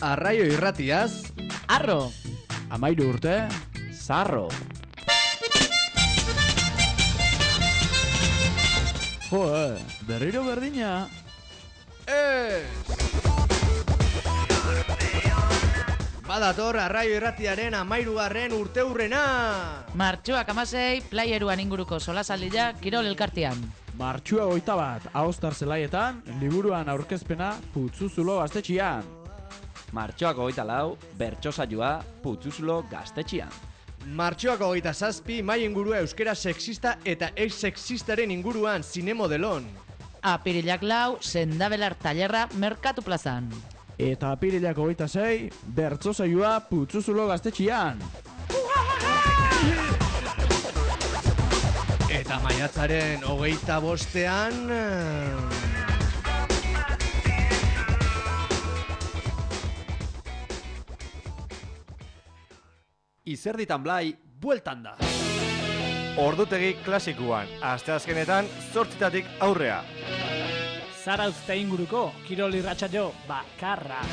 Arraio irratiaz, Arro! 13 urte, Zarro! Jo, berriro berdina. Badator Arraio irratiaren 13. urteurrena! Martxoak 16, playeruan inguruko solasaldia Kirol elkartean. Martxua 21, Ahostar zelaietan, liburuan aurkezpena Putzuzulo gaztetxian. Martxoak 24, bertsosaioa Putzuzulo gaztetxian. Martxoak 27, mai ingurua euskera sexista eta ex-sexistaren inguruan zinemodelon. Apirilak 4, sendabelar tailerra Merkatu plazan. Eta apirilak 26, bertsosaioa Putzuzulo gaztetxian. Eta maiatzaren 25ean... Izerditan Blai, bueltan da. Ordutegi klasikuan, asteazkenetan 8 aurrea. Zarauzte inguruko, Kirol irratsaio bakarra.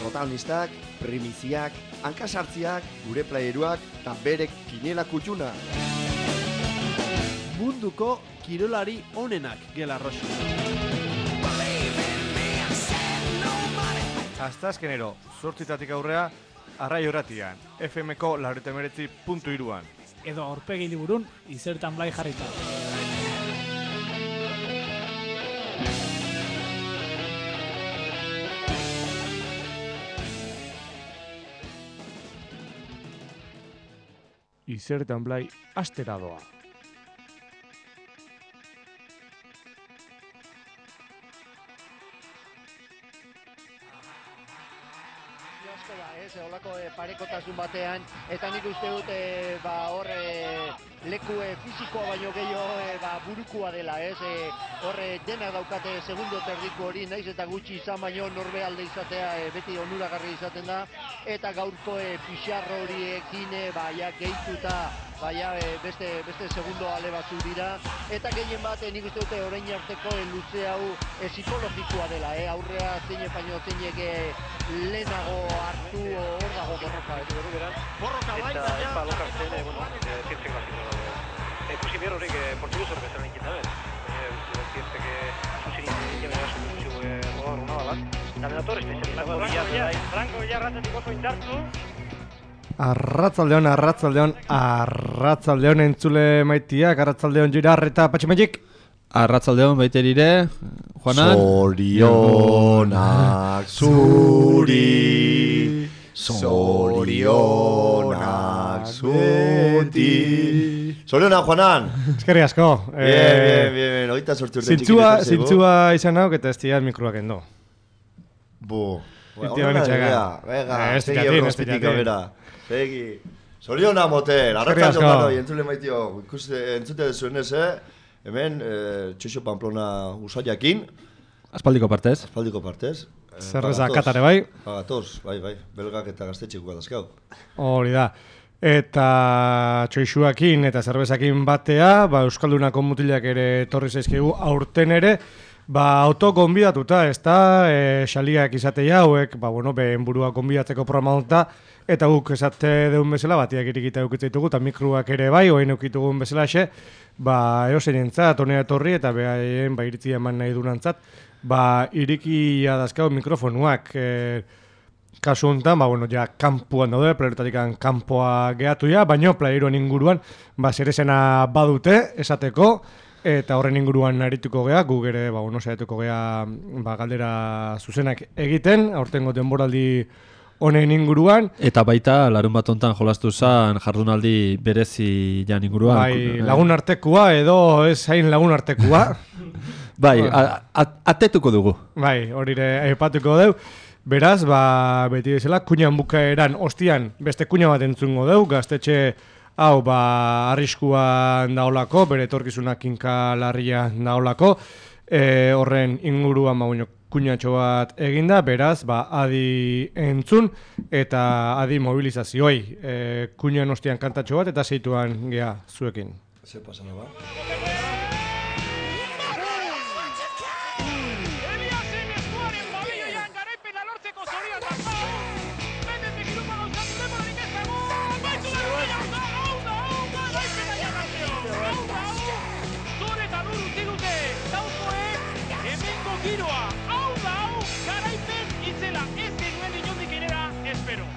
Protagonistak, primiziak, hankasartziak, gure playeruak eta berek kinela kutxuna. Munduko kirolari onenak gela roxo. Asteazkenero 8 aurrea, Arraio irratian, FMko 89.3an. Edo aurpegi liburun, Izertan Blai jarrita. Izertan Blai astera doa. Olako parekotasun batean, eta nik uste dut hor leku fisikoa baino gehiago burukoa dela, hor denak daukate segundo terdiko hori, naiz eta gutxi izan baino norbe alde izatea beti onuragarri izaten da, eta gaurko pixarro horiekin gehituta beste segundo ale batzu dira, eta gehien bat nik uste dute orain arteko luze hau psikologikoa dela, aurrea zein baino zeinek lehenago hartu hor dago borroka. Borroka bai, eta epa lokartzen, zientzek baziko dago. Ikusi behar horrek portuguz horrek ezaren egin dabez. Zientzek zuzin egin behar runa balat. Eta benator, Franko Villarratetik oso indartu. Arratzaldeon entzule maitiak, arratzaldeon Girarreta Patximagik. Arratzaldeon baiterire, Juanan. Zorionak zuri, zorionak zuti. Zorionak, Juanan! Eskerri asko. Bien, oita sortu urte txikile zego. Zintzua izan hauk eta ez diat mikroak endo. Ona vega, segi horrozpitik abera. Segi. Zorionak moten, arratzaldeon danoi, entzule maitio. Entzute dezuenez, hemen, Txoxo Pamplona usaiakin. Aspaldiko partez. Zerbeza katare bai. Gatoz, bai, belgak eta gaztetxeko dazkau. Hori da. Eta txoixuakin eta zerbezakin batea, Euskaldunako mutilak ere torri zaizkigu aurten ere, auto gonbidatuta, ez da, xaliak izatea hauek, behen burua gonbidatzeko programa honta, eta guk esate deun bezala, batiak irikita eukitzitugu, eta mikruak ere bai, oain eukitugun bezala xe, eosen entzat, honea etorri, eta behaien, iritzia eman nahi dunantzat, irikia dazkau mikrofonuak, kasu honetan, kanpuan daude, playeretatik kanpoa gehatu ja, baina playeroan inguruan, zerezena badute, esateko, eta horren inguruan arituko gea, gu ere, saiatuko gea, galdera zuzenak egiten, aurtengo denboraldi honen inguruan. Eta baita, larun bat hontan jolastu zen jardunaldi berezi jan inguruan. Lagun artekua edo ez hain lagun artekua. Atetuko dugu. Horire aipatuko dugu. Beraz, beti bezala, kuñan bukaeran ostian beste kuña bat entzungo dugu, gaztetxe hau arriskuan daolako, bere etorkizunak kinka larria daolako, horren inguruan kuñatxo bat eginda, beraz, adi entzun eta adi mobilizazioi. Kuñan ostian kantatxo bat eta zeituan gea zuekin. Ze pasana ba? giroa, hau da hau, garaipen itzela, ez genuen inondik inera, espero.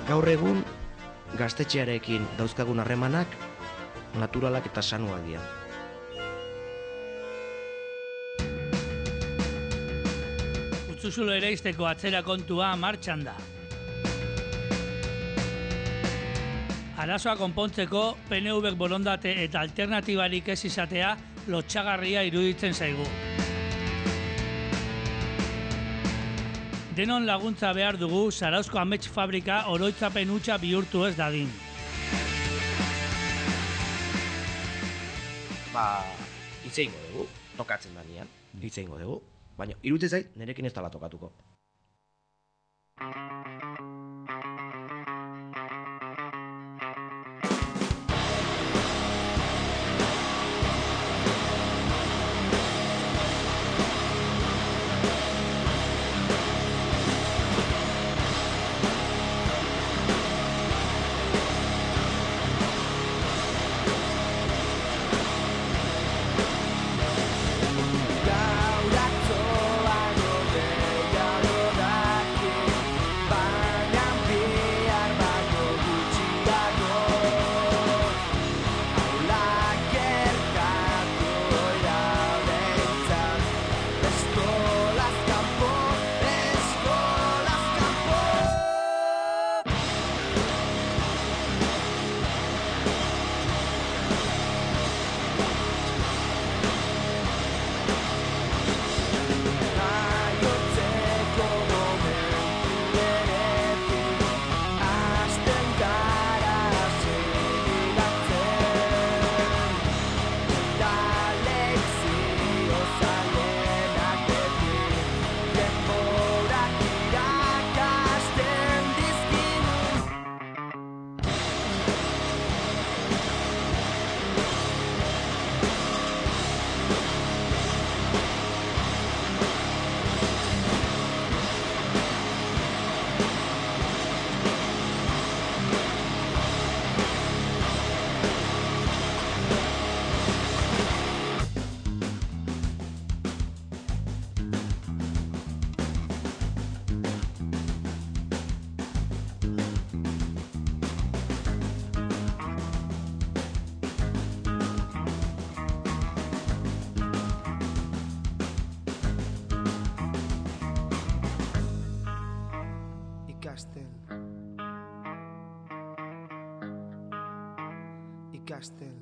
Gaur egun, gaztetxearekin dauzkagun harremanak naturalak eta sanuak dira. Utzuzulo ereizteko atzera kontua martxan da. Arazoa konpontzeko PNVk borondate eta alternatibarik ez izatea lotsagarria iruditzen zaigu. Denon laguntza behar dugu Zarauzko amets fabrika oroitzapen hutsa bihurtu ez dadin. Hitz egingo dugu, tokatzen da nian, hitz egingo dugu, baina iruditzen zait nerekin ez dela tokatuko. Ikasten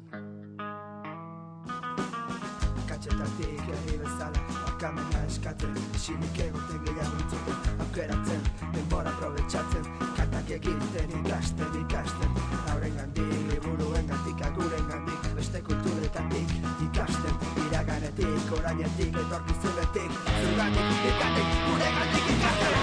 Katxetatik herri bezala barkamena eskatzen isilik egoten gehiago entzuten aukeratzen, denbora aprobetxatzen kantak egiten ikasten Haurengandik, liburuengandik, agurengandik beste kulturetatik ikasten iraganetik, orainetik, etorkizunetik zurgatik, ikatik, guregandik ikasten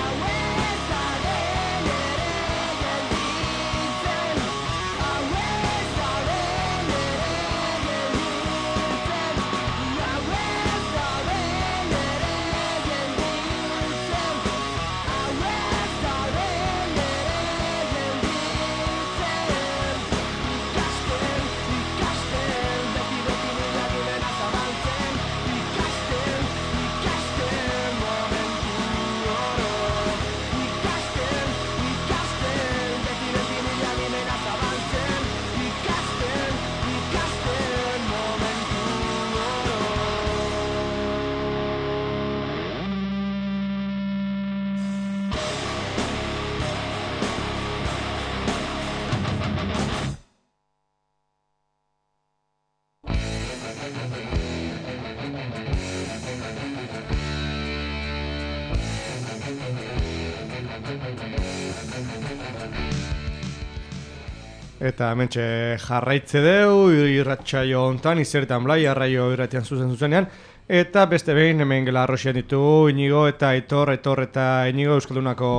Eta hementxe jarraitze deu, irratsaio hontan, izertan blai, arraio irratian zuzenean. Eta beste behin, hemen gela arroxian ditugu, Inigo eta Aitor eta Inigo Euskaldunako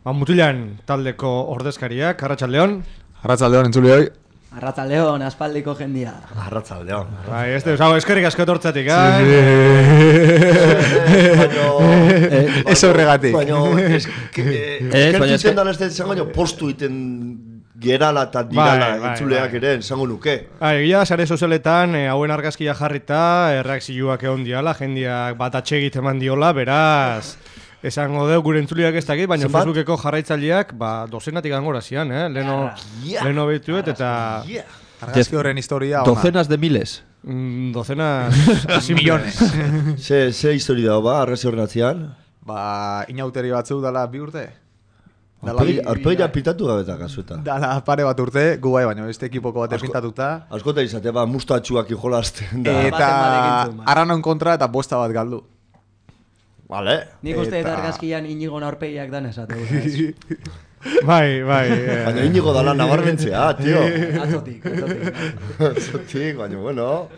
Mutilan taldeko ordezkariak, Arratsaldeon. Arratsaldeon, entzulioi. Arratsaldeon, aspaldiko jendia. Arratsaldeon. Bai, eskerrik asko etortzatik, Ez horregatik. Baina, eskertzen dan ez da postu iten gerala eta dirala entzuleak ere, esango nuke. Egia, sare sozialetan, hauen argazkia jarrita, reakzioak egon diala, jendiak bat atxegit eman diola, beraz... Esango deu gure entzuliak ez dakit, baina Facebookeko jarraitzaileak dozenatik angora zian, leheno behituet eta... Argazki horren historia ona. Docenas de miles. Docenas... millones. Ze historia dago argazki horren atzian? Inauteri batzu dala 2 urte. Arpegira pintatu gabeta kasuetan. Dala pare bat urte, gu bai, baina beste ekipoko bat pintatuta. Askota izate, mustatxuak ijolazten da. Eta aranon kontra eta bosta bat galdu. Vale. Nik uste eta argazkian Inigon aurpegiak dan esate. Bai. Baina Inigo dala nabarmentzea, tio. Atzotik, baina bueno.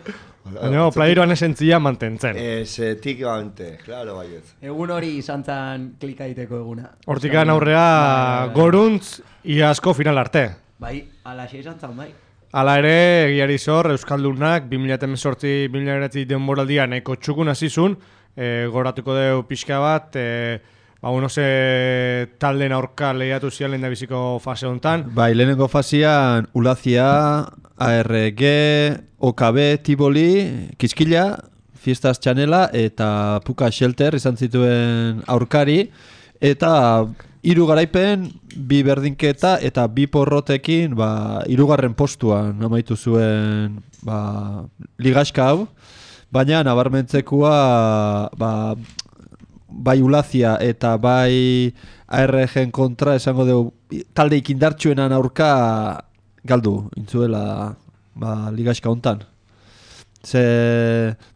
Baina, playeroan esentzia mantentzen. Esetikamente, claro, baiet. Egun hori izan zan klikaiteko eguna. Hortikan aurrea goruntz iasko final arte. Bai, alaxe izan zan, bai. Hala ere, egiari zor, Euskaldunak 2018-2019 denboraldia nahiko txukun hasizun, goratuko deu pixka bat, talden aurka lehiatu zian lehen da biziko fase hontan. Bai, lehenengo fasean Ulazia, ARG, OKB, Tivoli, Kiskila, Fiestas Txanela eta Puka Shelter izan zituen aurkari, eta 3 garaipen, 2 berdinketa eta 2 porrotekin 3. postuan amaitu zuen ligaxka hau. Baina nabarmentzekua bai Ulazia eta bai ARG-en kontra esango dugu talde ikindartsuenan aurka galdu intzuela ligaxka hontan.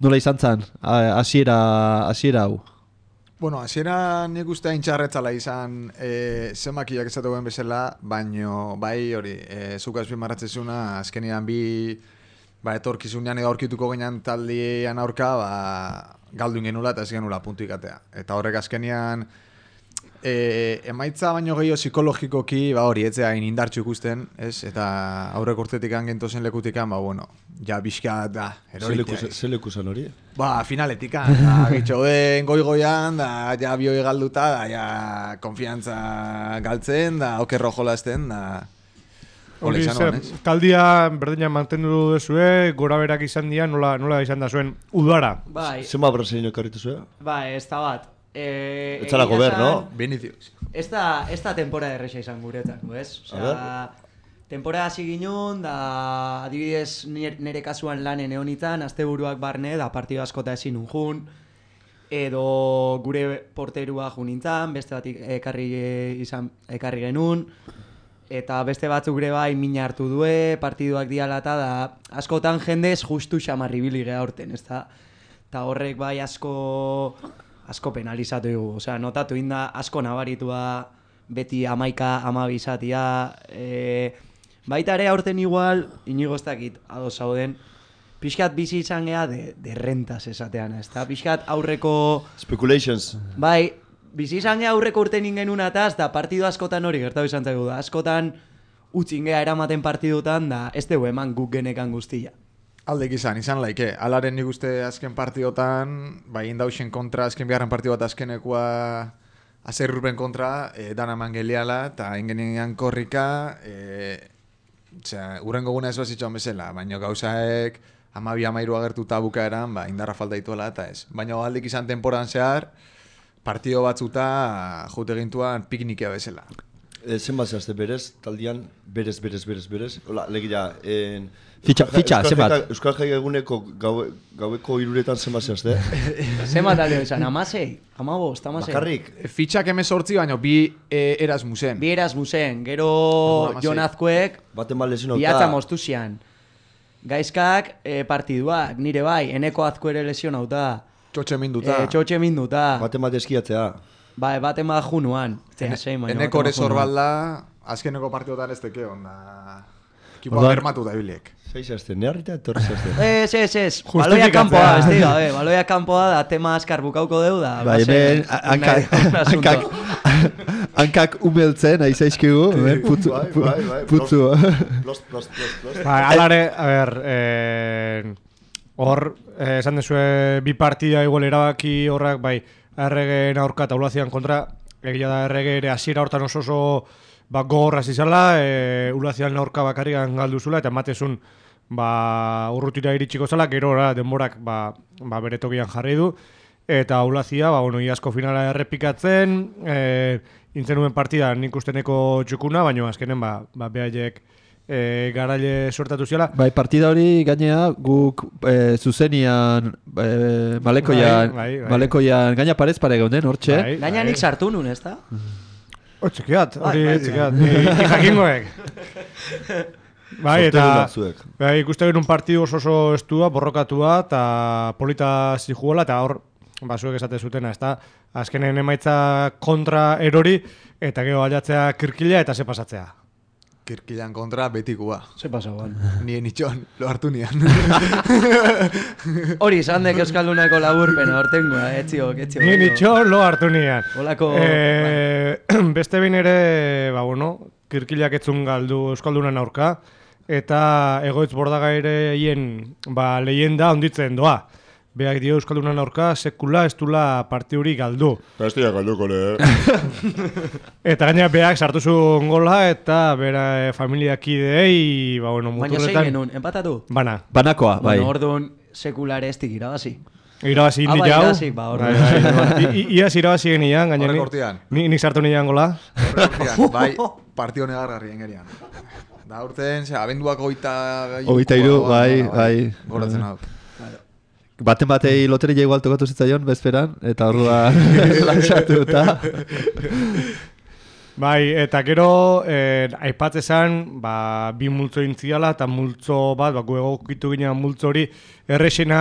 Nola izan zan, hasiera hau? Bueno, hasiera nik uste intxarretzala izan zemakiak ezaten bezala, baino bai hori, zuk azpimarratzezuna azkenean etorkizunean edo aurkituko ginen taldean aurka, galdu ingenula eta ez genula puntuik atea. Eta horrek azkenean, emaitza baino gehiago psikologikoki, hori, etzea indartxu ikusten, ez? Eta aurrek urtetik gentozen lekutikan, ja bizka da, eroritea. Ze lekuzan hori? Finaletikan, gitxo den goi-goian, ja bioi galduta, ja konfiantza galtzen, okerro jolazten, Hori taldia berdinak mantendu duzue, gora berak izan dira, nola izan da zuen udara? Zema brasileño ekarritu zuen? Ez da bat. Etzalako ber, no? Vinicius. Ez da temporada erresa izan guretako, ez? Temporada hasi ginen, da adibidez nire kasuan lanen eonitzen, asteburuak barne, da partido askota ezin unjun, edo gure porterua junintzen, beste bat ekarri genuen, eta beste batzuk gure bai mina hartu due, partiduak diala eta da askotan jendez justu xamarribili geha horten, ez da? Eta horrek bai asko penalizatu dugu, osea, notatu inda asko nabaritua beti 11-12 izatia, baita ere aurten igual, inigo ez dakit, ados zauden, pixkat bizi izan geha de rentas esatean, ez da? Pixkat aurreko... Speculations. Bai, bizi izan geha aurreko urten ingen ataz, da partidu askotan hori gertatu izan zaigu da. Askotan utzin geha eramaten partidutan, da ez dugu eman guk genekan guztia. Aldek izan laike. Alaren nik uste azken partidotan, indauxen kontra, azken biharren partidu bat azkenekoa azerrupen kontra, dana eman geliala, eta ingenean korrika, urrengo guna ez bazitxoan bezala, baina gauzaek 12-13 agertuta bukaeran, indarra falta dituela eta ez. Baina aldek izan temporan zehar, partido batzuta jote gintuan piknikia bezala. Zenbat zehazte berez, taldian, berez. Hola, legira, Fitxa, zenbat? Euskal Jai eguneko gaueko 3 zenbat zehazte? Zenbat talde bezan, 16, 15, 16. Bakarrik? Fitxak 18, baina 2 Erasmusen. 2 Erasmusen, gero Jon Azkuek, bihatza moztu zian. Gaizkak partiduak, nire bai, Eneko Azku ere lesionauta. Txotxe minduta. Baten bat eskiatzea. Baten bat junuan. Eneko ere zorbalda, azkeneko partidotan ez teke onda. Kipoa germatu da biliek. Zeizazte, neharrita etorri zazte. Ez. Baloia kanpoa, ez diga, baloia kanpoa da tema askar bukauko deu da. Bai, hankak umeltzen, aizaizkigu, putzu. Alare, a ber, hor, esan dezue bi partida igual erabaki horrak, bai, erregeen aurka eta ulazian kontra, egia da errege ere hasiera hortan oso gogorra zizala, ulazian aurka bakarrian galduzula, eta ematezun urrutira iritsiko zala, gero denborak bere tokian jarri du, eta ulazia, iazko finala errepikatzen, intzenuen partida nik usteneko txukuna, baina azkenen behaiek garaile sortatu ziala. Bai, partida hori gainea guk zuzenian Malekoian gaina parez pare geunden, hortxe. Gaina nik sartu nun, ez da? Txikiat, ni jakingoek. Bai, eta ikuste genuen partidu oso estua, borrokatua, eta polita zijuela, eta hor, zuek esate zutena, ez da, azkenen emaitza kontra erori, eta gero aldatzea kirkila eta ze pasatzea. Kirkilan kontra betikua. Ze pasagoan. Nien itxon, lo hartu nian. Hori, zandek euskaldunako laburpena, hortengoa, etziok. Nien itxon, lo hartu nian. Olako... Beste behin ere, kirkilak etzun galdu euskaldunan aurka, eta egoitz bordagaire hien leyenda onditzen doa. Beak dio euskaldunan aurka, sekula ez dula partiuri galdu. Ez dira galduko, Eta gaina beak sartu zuen gola, eta bera familiakideei, muturretan... Baina zein genuen, empatatu? Banakoa, bai. Bueno, orduan sekulare ez dik irabazi. Irabazi indi jau. Iaz irabazi genian, gaina nik sartu nian gola. Bai, partio negargarri engerian. Da urten, abenduak 23... bai. Goratzen hau. Baten batei loteria igual tokatu zitzaion, bezperan, eta orduan lantzatu eta... Bai, eta gero, aipatzezan, bi multzo intziala, eta multzo bat, egokitu ginen multzo hori, errexena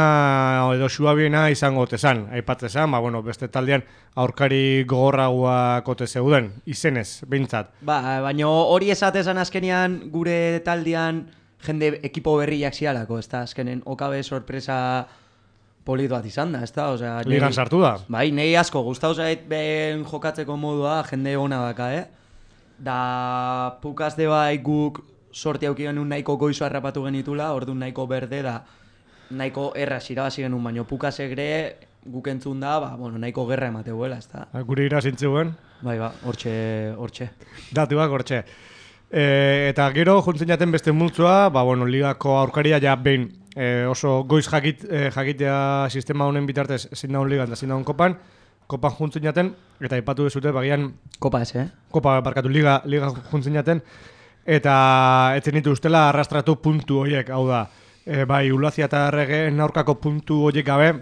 edo suabiena izango otezan. Aipatzezan, beste taldean aurkari gogorragoa kote zeuden, izenez, behintzat. Baina hori esatezan azkenean gure taldean jende ekipo berriak zialako, ez da, azkenen okabe sorpresa... polit bat izan da, ez da? Ligan sartu da. Bai, nahi asko, gustau zait ben jokatzeko modua, jende ona daka, Da, pukazde bai guk sorti auki genuen nahiko goizo harrapatu genitula, orduan nahiko berde da, nahiko erraz irabazi genuen, baina pukazegre guk entzun da, nahiko gerra emateguela, ez da? Gure irazintzuen? Bai, hortxe. Datuak hortxe. Eta gero, juntzen jaten beste multzoa, ligako aurkaria ja behin, oso goiz jakitea sistema honen bitartez zein daun ligan eta zein daun kopan juntzen jaten, eta aipatu dezute bagian... Kopa ez, Kopa, barkatu, liga juntzen jaten, eta etzen ditu ustela arrastratu puntu horiek, hau da, bai, ulazia eta erregeen aurkako puntu horiek gabe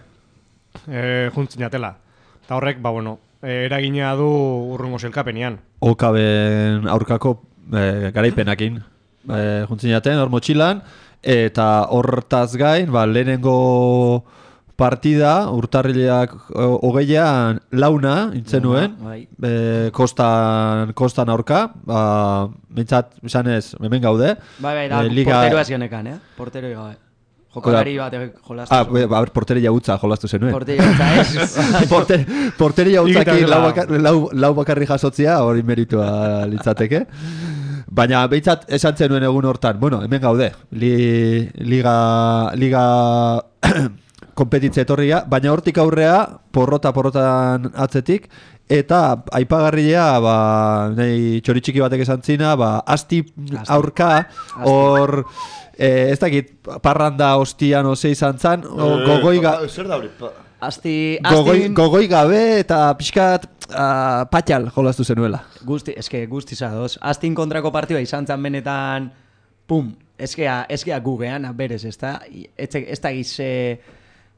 juntzen jatela. Eta horrek, eragina du urrungo zelkapenian. Okaben aurkako garaipenakin juntzen jaten, hor motxilan, eta hortaz gain, lehenengo partida, urtarrileak 20an launa intzenuen, kostan aurka, bintzat, esanez, hemen gaude. Bai, da, porteroa zionekan, portero gabe. Jokolari bat jolastu zuen. Porteria utza jolastu zenuen. Porteria utza, ez? Porteria utzakin lau bakarri jasotzia, hori meritua litzateke. Baina behintzat esan zenuen egun hortan, hemen gaude, liga kompetitze etorria, baina hortik aurrea porrotan atzetik, eta aipagarria, nahi txoritxiki batek esan zina, asti aurka, hor, ez dakit, parranda hostian ose izan zan, zer da hori? Gogoi gabe eta pixkat patxal jolaztu zenuela. Guzti zadoz. Astin kontrako partioa izan zan benetan, ezkea gugean, berez, ez da? Ez da gize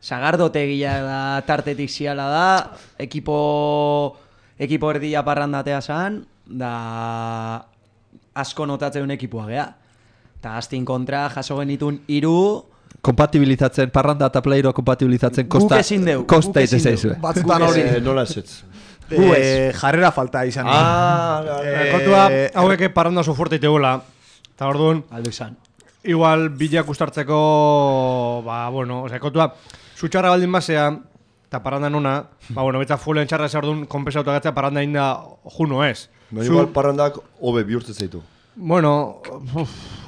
sagardotegia da, tartetik ziala da, ekipo erdia parrandatea zan, da asko notatzen ekipoa gea. Eta Astin kontra jaso genitun 3... Kompatibilizatzen, parranda eta playero kompatibilizatzen kosta izan zaizue. Batzutan hori nola esetz. Jarrera falta izan. Kontua, hauek parranda oso fuerte itegoela. Eta orduan, igual bilak ustartzeko, kontua, zutxarra baldin basea, eta parrandan ona, betza fuelen txarra zardun konpensauta gatzea parranda inda juno ez. Igual parrandak hobe bihurtzen zaitu. Bueno,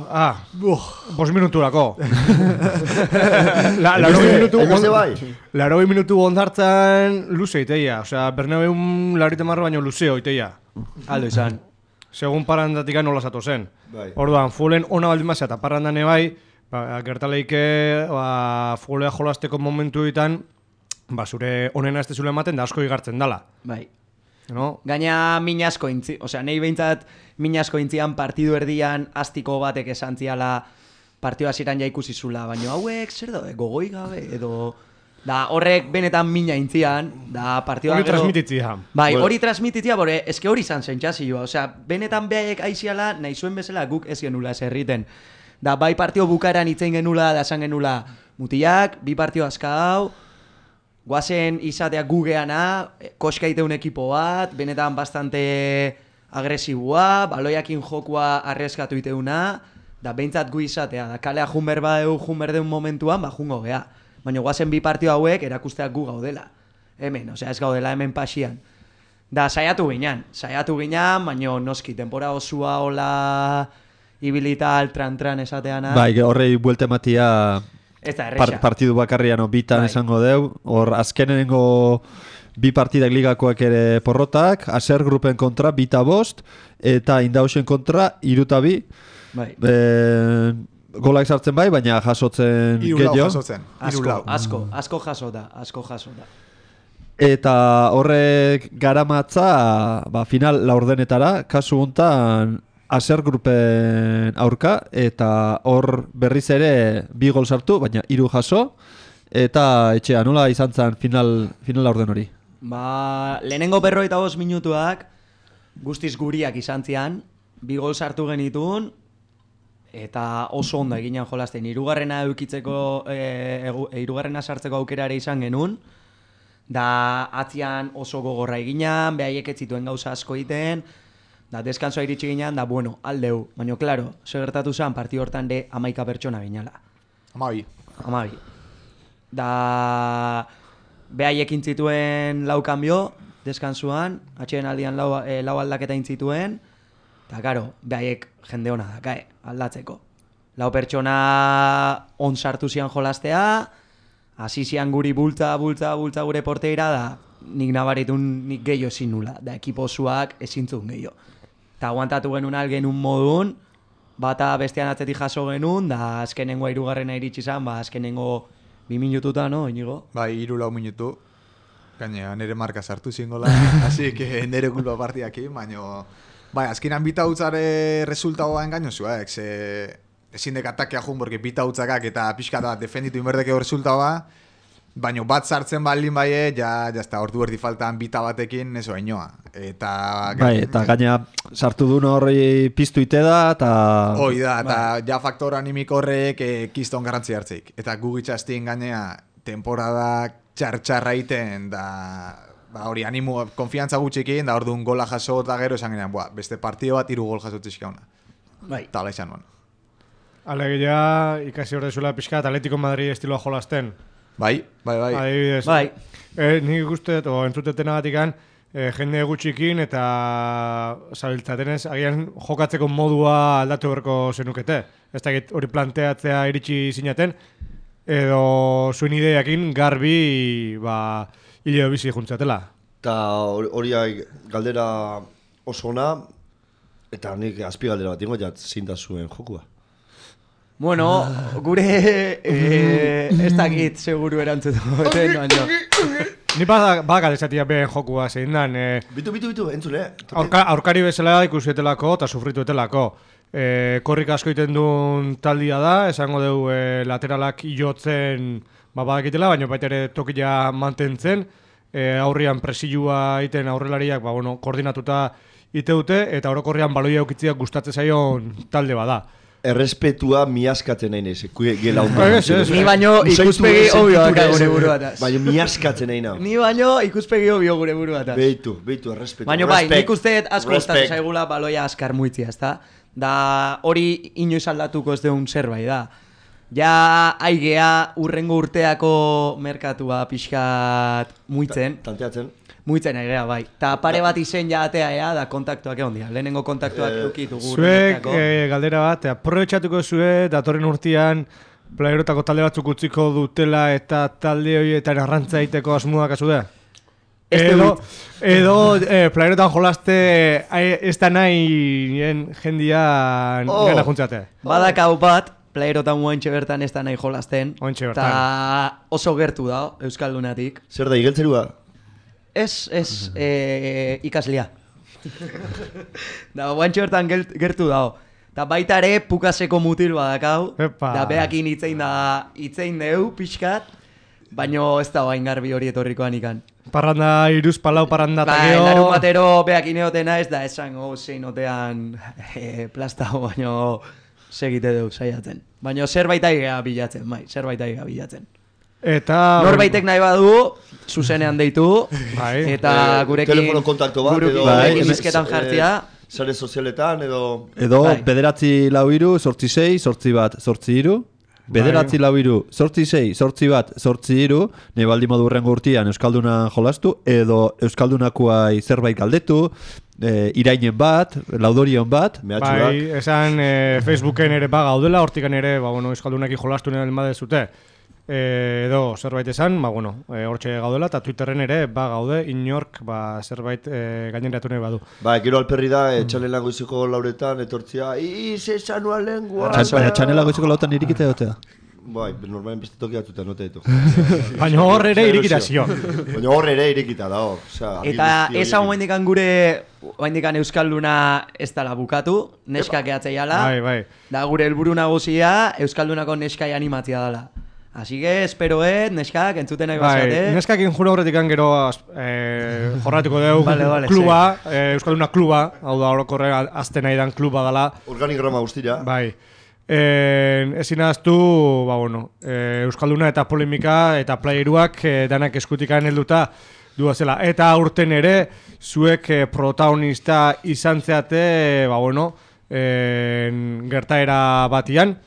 5 minuturako. Larogei minutu ondartzan luze iteia. Osea, Bernabeun larite marro baino luzeo iteia. Aldo izan. Segun parrandatik nola zato zen. Orduan, fuelen ona baldin bazea eta parrandane bai, gertaleike fulea jolasteko momentuetan, zure onena ez dezule ematen da asko igartzen dala. Bai. No? Gaina min asko intzi, osea, nahi behintzat min asko intzian partidu erdian astiko batek esan ziala partidu hasieran ja ikusi zula, baina hauek zer da, gogoi gabe, edo... Da horrek benetan mina intzian, da partidua hori transmititzia. Bai, hori transmititzia, bore, eske hori izan zentzazioa, osea, benetan behaiek aiziala nahi zuen bezala guk ez genula ez erriten. Da bai partio bukaeran itzein genula, da esan genula mutilak, bi partio azka hau, guazen izatea gugeana, koska iteun ekipo bat, benetan bastante agresibua, baloiakin jokua arrieskatu iteuna, da behintzat gu izatea, da kalea junber deun momentuan, jungo gea. Baina guazen bi partio hauek erakusteak gu gaudela. Hemen, osea ez gaudela hemen pasian. Da saiatu ginean, baina noski, tempora osua hola ibilita altran esateana. Bai, horrei buelte matia partidu bakarrian bitan esango deu. Hor azkenengo bi partidak ligakoak ere porrotak, Aser grupen kontra 2-5 eta Indausen kontra 3-2. Bai. Golak sartzen bai, baina jasotzen gehiago. Asko jasota. Eta horrek garamatza final laurdenetara, kasu hontan Aser grupen aurka, eta hor berriz ere 2 gol sartu, baina 3 jaso, eta etxea, nola izan zen final laurden hori? Lehenengo 45 minutuak guztiz guriak izan zian, 2 gol sartu genitun, eta oso ondo eginan jolasten. Hirugarrena sartzeko aukerare izan genuen, da atzian oso gogorra eginan, behaiek ez zituen gauza asko egiten, da deskansoa iritsi ginean, da bueno, aldeu. Baina, klaro, segertatu zen, partidu hortan de 11 pertsona ginala. 12. Da behaiek intzituen 4 kanbio, deskansuan, atxeen aldian 4 aldaketa intzituen, eta karo, behaiek jende hona dakae, aldatzeko. 4 pertsona on sartu zian jolastea, hasi zian guri bultza gure porteira, da nik nabaritun nik gehiago ezin nula, da ekipo osuak ezintzun gehiago. Eta aguantatu genuen algenun modun, bata bestean atzetik jaso genuen, da azkenengo 3. iritsi zan, azkenengo 2 minututa, no, Inigo? Bai, 3-4 minutu. Gaina, nire marka sartu zingola, así que nire kulpa partiakin, baina... Bai, azkenan bita hutzare resultagoa engainozua, ezin dek atakea jun, porque bita hutzakak eta pixka da defenditu inberdekeo resultagoa, baina bat sartzen baldin baie, ja ordu erdi faltan bita batekin, eso inoa. Bai, eta gaina sartu duen horri piztu ite da, eta... Hoi da, eta ja faktor animik horrek kiston garrantzi hartzeik. Eta gugitxastin gainea temporada txarra iten, da hori animo, konfiantza gutxikin, da orduan gola jaso eta gero esan genean, beste partido bat 3 gol jasotzizka hona. Bai. Tala izan nuen. Alegia ikasi hor dezuela pixka Atletico Madrid estiloa jolasten. Bai. Adibidez. Bai. Nik ikusten, entzutetenagatikan, jende gutxikin eta zabiltzatenez, agian jokatzeko modua aldatu berko zenukete. Ez da hori planteatzea iritsi zinaten, edo zuen ideiakin garbi, hileo bizi juntzatela. Eta hori galdera oso ona, eta nik azpi galdera bat ingo zinda zuen jokua. Bueno, gure ez dakit seguru erantzutu. Ni badak esatia behen jokua zein dan. Bitu, entzule. Aurkari bezala ikusietelako eta sufrituetelako. Korrik asko iten duen taldia da, esango dugu lateralak jotzen badakitela, baina baita ere tokia mantentzen. Aurrian presilua iten aurrelariak koordinatuta iteute, eta orokorrean baloia eukitziak gustatzen zaion talde bada. Errespetua miaskatzen nahi nez, gela ondo. Ni baino ikuspegi obio daka gure buruataz. Baina miaskatzen nahi nahi. Ni baino ikuspegi obio gure buruataz. Beitu, errespetu. Baina bai, nik usteet asko gustatzen zaigula baloia askar muitzia, ezta? Da hori inoiz aldatuko ez deun zerbait da. Ja aigea urrengo urteako merkatua pixkat muitzen. Tanteatzen. Muitzen aigea, bai. Ta pare bat izen ja atea ea, da kontaktuak egon dira. Lehenengo kontaktuak edukitugu. Zuek galdera bat, aprobetxatuko zue, datorren urtean, playerotako talde batzuk utziko dutela eta talde horietan arrantza egiteko asmoak azu da? Edo playerotan jolaste ez da nahi jendian gana juntzate. Badakau bat, playerotan guaintxe bertan ez da nahi jolasten. Eta oso gertu da, Euskaldunatik. Zer da, igeltzerua? Ez, ikaslia. Da, guaintxe bertan gertu da. Da baita ere pukaseko mutil badakau. Da behakin itzein deu pixkat. Baina ez da bain garbi hori etorrikoan ikan. Parranda, iruz palau parranda eta geho. Larun batero behakin eotena ez da esango zein otean plastao, baina segite deu saiatzen. Baina zerbait aigea bilatzen, bai, zerbait aigea bilatzen. Eta... Norbaitek nahi badu, zuzenean deitu, eta gurekin... Telefono kontakto bat, edo... Gurekin izketan jartzia. Sare sozialetan, edo... Edo, bederatzi lau iru, 86, 8 iru. Bederatzi lau iru, 86, 8 iru. Nahi baldin modu urrengo urtean Euskalduna jolastu, edo Euskaldunakoai zerbait galdetu, irainen bat, laudorion bat. Bai, esan Facebooken ere gaudela, hortikan ere, Euskaldunaki jolastu nire elmade zute. Edo zerbait esan, hortxe gaudela, eta Twitterren ere gaude inork zerbait gaineratu nahi badu. Gero alperri da, txanela goiziko lauretan, etortzia, esan nuan lengua. Txanela goiziko lauretan irikita egotea. Bai, normalen beste toki atuta note ditu. Baina hor ere irikita zio. Baina hor ere irikita da, hor. Eta ez hau maindikan gure, maindikan Euskalduna ez dala bukatu, neskak eatzeiala. Bai. Da gure helburu nagusia, Euskaldunako neskai animatzia dala. Así que espero neskak entzuten nahi bazate. Neskak injura horretik gero jorratuko deu kluba, Euskalduna kluba, hau da orokorre azten nahi dan kluba dala. Organigrama guztira. Bai. Ezin ahaztu, Euskalduna eta polemika eta playeruak danak eskutikan helduta duazela. Eta aurten ere, zuek protagonista izan zeate, gertaera batian.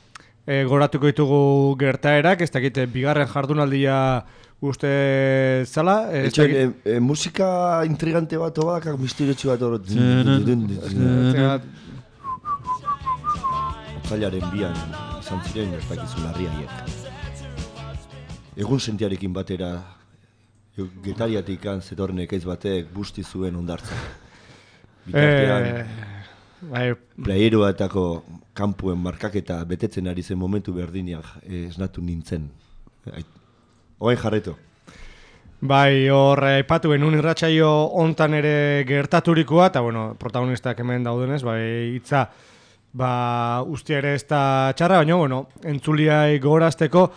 Goratuko ditugu gertaerak, ez dakit, bigarren jardunaldia uste zala. Musika intrigante bat oak, misteriotsu bat horot. Otzailaren bian izan ziren, ez dakizu larriaiek. Egun sentiarekin batera, Getariatik zetorren ekaiz batek busti zuen ondartzak. Bitartean... Playeroetako kampuen markaketa betetzen ari zen momentu berdinak esnatu nintzen. Oain jarretu. Bai, hor aipatu genuen irratsaio hontan ere gertaturikoa, eta protagonistak hemen daudenez, hitza ustia ere ez da txarra, baina entzuliai gogorazteko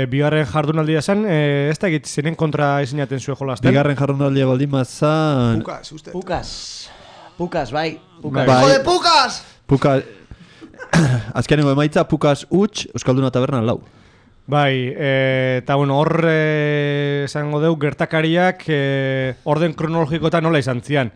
bigarren jardunaldia zen, ez da egit zenen kontra izinaten zuen jolasten. Bigarren jardunaldia baldin mazan... Pukas, bai. Jode, Pukas! Pukas... Azkenengo emaitza, Pukas huts, Euskalduna tabernan 4. Bai, eta hor esango deu gertakariak orden kronologikoetan nola izan zian.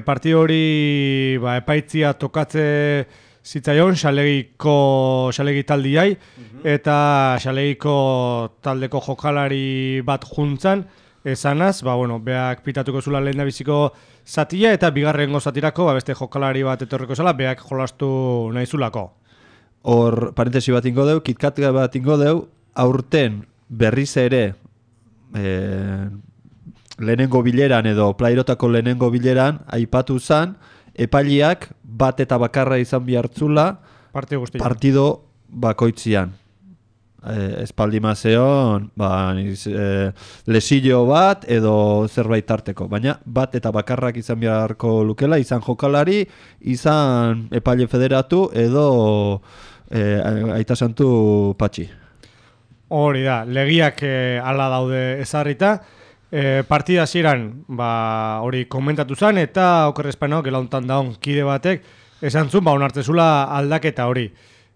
Partido hori epaitzia tokatze zitzaion xalegi taldiai, eta xalegiko taldeko jokalari bat juntzan, esanaz, beak pitatuko zula lehen da biziko zatia, eta bigarrengo zatirako, beste jokalari bat etorriko zela, beak jolastu nahi zulako. Hor, parentesi bat ingo deu, kitkat bat ingo deu, aurten berriz ere lehenengo bileran edo plairotako lehenengo bileran aipatu zan, epailiak bat eta bakarra izan bihartzula partido bakoitzian. Espaldimazeon lesillo bat edo zerbait tarteko, baina bat eta bakarrak izan beharko lukela, izan jokalari, izan epaile federatu edo aita santu patxi. Hori da, legiak ala daude ezarrita, partida hasieran hori komentatu zen, eta okerrezpaino gelauntan daun kide batek esan zuen onartzezula aldaketa hori.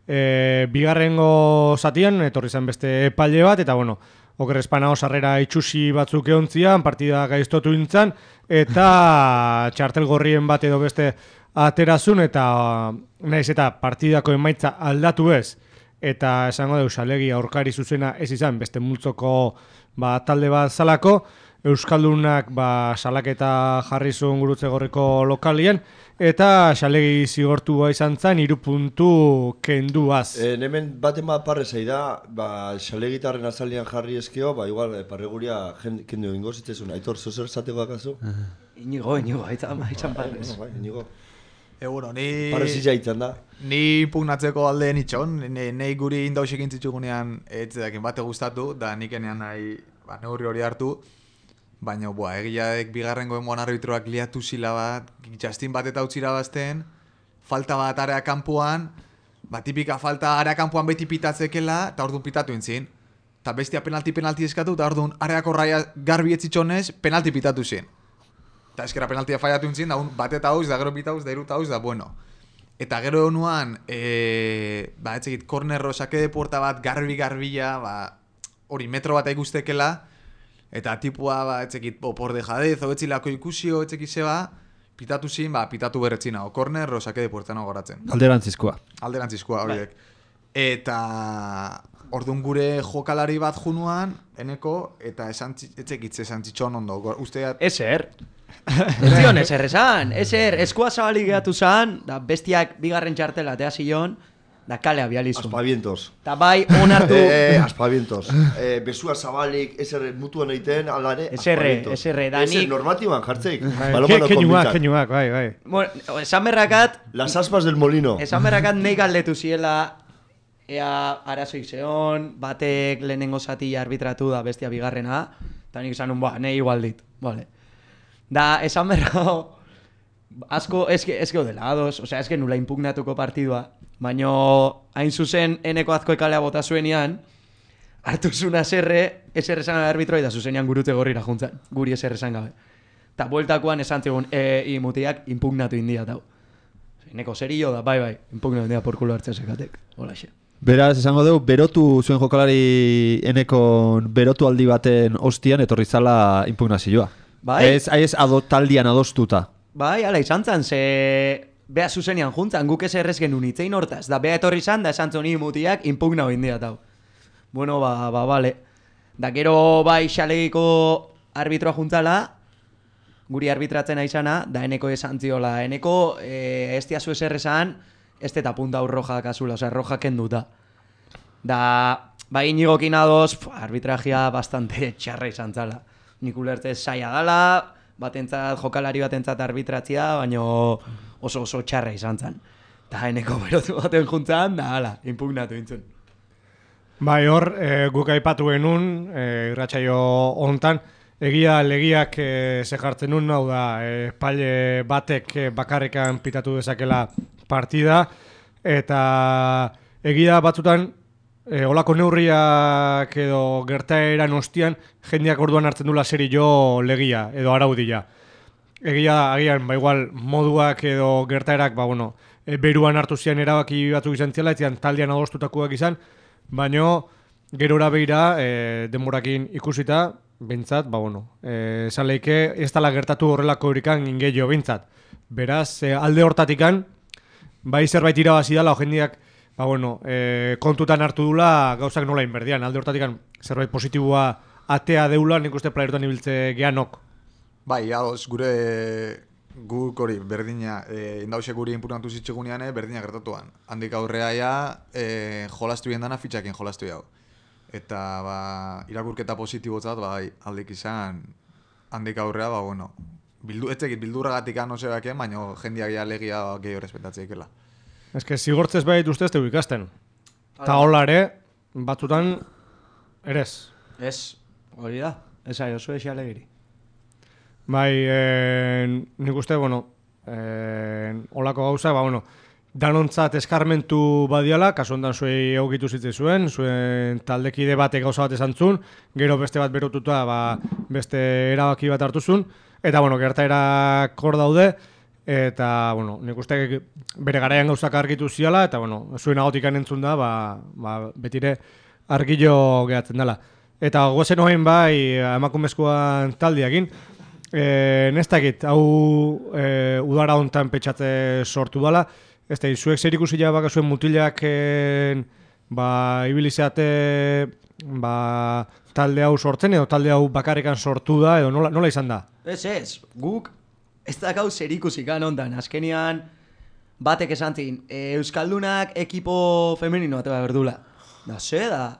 Bigarrengo zatian etorri zen beste epaile bat, eta okerrezpanao sarrera itxusi batzuk eontzian, partida gaiztotu intzan, eta txartel gorrien bat edo beste aterazun, eta nahiz eta partidako emaitza aldatu ez, eta esango dugu Xalegi aurkari zuzena ez izan, beste multzoko talde bat zalako, Euskaldunak salaketa jarri zuen Gurutze Gorriko lokalien, eta Xalegi zigortua izan zen 3 puntu kenduaz. Hemen baten parre zaida, Xalegitarren azalian jarri eskio, igual parreguria kendu ingo zitzezun. Aitor, zozer zateko akazu? Inigo, haitzan parrez. Inigo. Bueno, ni... Parrezitza hitzen da. Ni pugnatzeko alde nitxon, nahi guri indausik intzitzugunean etzedakin bate gustatu, da nik enean nahi neurri hori hartu. Baina, egiadek bigarrengo enboan arbitroak liatu zila bat, Justin bat eta utzira bazten, falta bat area kanpoan, tipika falta area kanpoan beti pitatzekela, eta orduan pitatu intzin. Eta bestia penalti eskatu, eta orduan areako raia garbi etzitxonez, penalti pitatu zin. Eta eskera penaltia faiatu intzin, da bat eta hauz, da gero pitauz, da irut hauz, da bueno. Eta gero honuan, etzekit, kornerro, sake de puerta bat, garbi-garbila, hori metro bat ikustekela, eta tipua, etzekit, por dejadez, etzilako ikusio, etzekit zeba, pitatu zin, pitatu berretzina, o korner, o sake de puerta nago garatzen. Alderantzizkoa. Alderantzizkoa, horiek. Eta orduan gure jokalari bat junuan, eneko, eta etzekitze esan txitxon ondo. Ezer. Ez zion ezer esan. Ezer, eskua zabalik gehatu zan, da bestiak bigarren txartela atea zion, da kale abializun. Aspavientos. Ta bai, onartu... Aspavientos. Besua zabalik, ezer mutuan egiten, alare, aspavientos. Eserre, danik... Ezer normatiban jartzeik. Keñuak, bai. Bueno, esan berrakat... Las aspas del molino. Esan berrakat nahi galdetu ziela, ea arazoik zeon, batek lehenengo zati arbitratu da bestia bigarrena, eta nik esan nahi igual dit. Vale. Da, esan berra... Asko, ez gaudela, ados, osea, ez nula impugnatuko partidua, baina hain zuzen eneko azko ekalea bota zuenian, hartu zuna eserre esan gabe arbitroi da zuzenean Gurutze Gorrira juntzan, guri eserre esan gabe. Eta bueltakoan esan zigun, mutiak impugnatu india tau. Eneko serio da, bai, impugnatu india porkulo hartzen sekatek, hola xe. Beraz, esango dugu, berotu zuen jokalari enekon berotu aldi baten ostian etorri zala impugnazioa. Bai? Ez taldian adostuta. Bai, ala izan zan, ze beha zuzenian juntzan, guk ez errez genuen itzein hortaz, da beha etorri zan, da esan zoni mutiak impugna india tau. Bueno, bale. Da gero bai Xalegiko arbitroa juntzala, guri arbitratzen aizana, da eneko esan ziola. Eneko ez diazu ez errezan, ez eta punta hor roja kasula, osea, roja kenduta. Da, bai inigokin adoz, arbitrajia bastante txarra izan zala. Nik ulertez saia dala, jokalari batentzat arbitratzia, baina oso txarra izan zen. Eta eneko berotu baten juntzan, da hala, impugnatu intzun. Bai, hor, guk aipatu genuen, irratsaio hontan, legiak ze jartzen nun, hau da, paile batek bakarrekan pitatu dezakela partida, eta egia batzutan, olako neurriak edo gertaeran ostian, jendeak orduan hartzen dula serio legia edo araudia. Agian, igual, moduak edo gertaerak, beruan hartu zian erabaki batzuk izan ziala, etzian taldean adostutakoak izan, baina gerora beira, denborakin ikusita, bintzat, esan lehike, ez dala gertatu horrelako horikan ingeio bintzat. Beraz, alde hortatikan, bai zerbait irabazi dala, jendeak, kontutan hartu dula gauzak nola inberdian. Alde hortatik zerbait positiboa atea deula, nik uste playerotan ibiltze geanok. Bai, ados, guk hori berdina, indause guri inpugnatu zitzegunean, berdina gertatuan. Handik aurrea jolastu bien dana fitxakin jolastu jau. Eta irakurketa positibotzat, aldik izan, handik aurrea, etzekit bildurragatik anosebaken, baina jendiak legia gehiago respetatzeikela. Ez que zigortzez behit ustez tegu ikasten. Ta hola ere, batzutan, erez. Ez, hori da. Ez ari oso esi alegiri. Bai, nik uste, holako gauza, danontzat eskarmentu badiala, kasu hondan zuei egokitu zitzizuen, zuen taldekide batek gauza bat esan zuen, gero beste bat berotuta, beste erabaki bat hartuzun, eta, gertaerak hor daude, eta, nik uste bere garaian gauzak argitu ziala, eta, zuen agotikan entzun da, betire argillo gehatzen dela. Eta gozen hoen emakumezkoan taldiakin, nestakit, hau udara hontan petxatze sortu dela, ez da, zuek zer ikusi baka zuen mutilak ibilizeate talde hau sortzen edo talde hau bakarrikan sortu da edo nola izan da? Ez, guk ez dakau zer ikusikan ondan, azkenian batek esan zin, Euskaldunak ekipo femenino atea berdula. Da,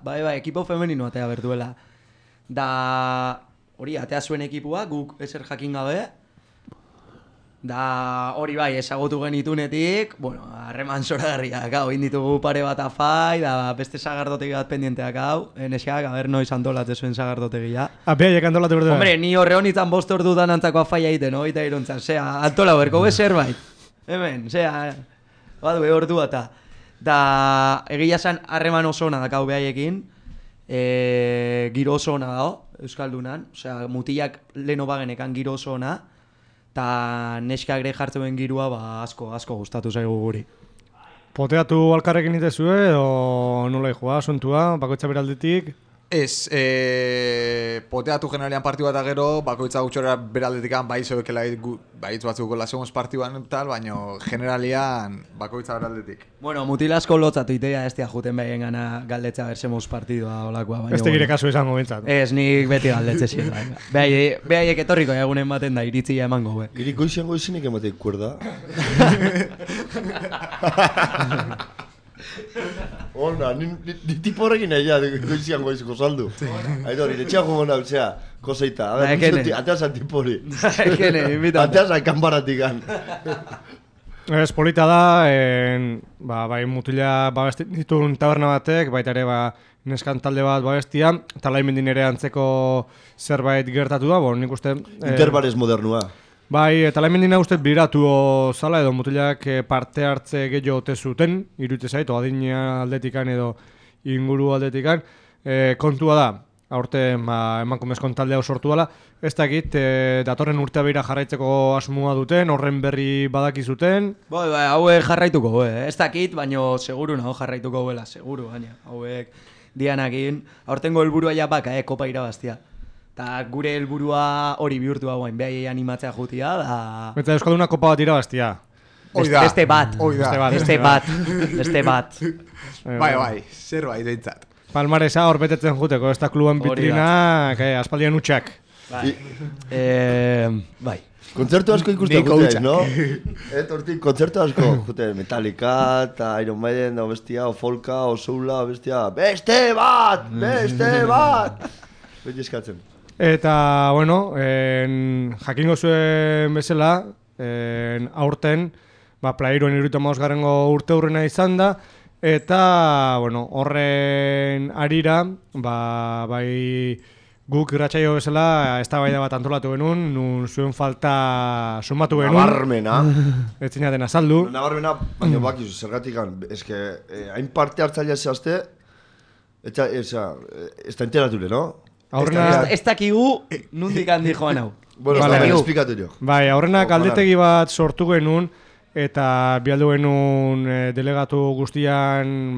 bai, ekipo femenino atea berduela. Da, hori, atea zuen ekipua, guk ezer jakin gabe. Da, hori bai, ezagutu genitunetik, harreman zoragarriak, hau, inditugu pare bat afai, da, beste sagardotegi bat pendienteak, hau, nesiak, noiz antolate zuen sagardotegia. Behaiek antolate berdua? Hombre, ni horre honitan 5 ordutan antzako afaia egiten, eta iruntzan, antola berko bezerbait. Hemen, badu, ordu eta. Da, egia zen, harreman oso ona dakau behaiekin, giro oso ona dago, Euskaldunan, mutilak leno bagenekan giro oso ona, eta neskak ere jartzen girua asko gustatu zaigu guri. Poteatu alkarrekin itezue edo nola joa, asuntua, bakoitza beraldetik? Ez, poteatu generalian partidu bat gero, bakoitza gutxora beraldetikan bai zoekela baitz batzuk gola segundos partiduan tal, baina generalian bakoitza beraldetik. Mutilasko lotzatu itea ez tia juten behien gana galdetza bersemos partidua olakoa. Ez tegire kasu esango bintzat. Ez, nik beti galdetze zien. Behaiek etorriko egunen baten da, iritzia emango. Iriko izango izinik emateik kuerda. Ona, ni tipo horrekin nahi goizian goiziko saldu. Aitor, iretxean gomona utzea, koseita. Ateazan tipo hori. Ateazan kanbaratik gan. Ez, polita da, bai mutila ditun taberna batek, baita ere neskan talde bat babestia, eta laimendin ere antzeko zerbait gertatu da, nik uste... Interbares modernua. Bai, eta laimendina uste biratu zala edo mutilak parte hartze gehiago ote zuten, iruditzen zait, adina aldetikan edo inguru aldetikan. Kontua da, aurte emakumezkon taldea sortu dela, ez dakit, datorren urtea beira jarraitzeko asmoa duten, horren berri badakizuten. Bai, hauek jarraituko, ez dakit, baina seguru nago jarraituko goela, seguru, baina hauek dianakin. Aurtengo helburua ja baka, kopa irabaztia. Eta gure helburua hori bihurtu hauen, behai animatzea jutia, da... Eta Euskalduna kopa bat irabaztia. Beste bat. Bai, zerbait deintzat. Palmaresa hor betetzen juteko, ez da kluban bitrinak, aspaldian utxak. Bai. Kontzertu asko ikusten juteak, no? Hortik, kontzertu asko juteak, Metallica, eta Iron Maiden, o bestia, o Folka, o Soula, o bestia, beste bat! Beti eskatzen. Eta, jakingo zuen bezala, aurten, Playeroen 75. urte hurrena izan da, eta, horren arira, bai guk irratsaio bezala, eztabaida bat antolatu genuen, nun zuen falta sumatu genuen. Nabarmena. Ez zinaten azaldu. Nabarmena, baina bakizu, zergatikan, eske, hain parte hartzailea zehazte, eta ez da enterature, no? Ez dakigu nundik handi joan hau. Esplikatu jo. Bai, aurrenak aldetegi bat sortu genuen eta bialdu genuen delegatu guztian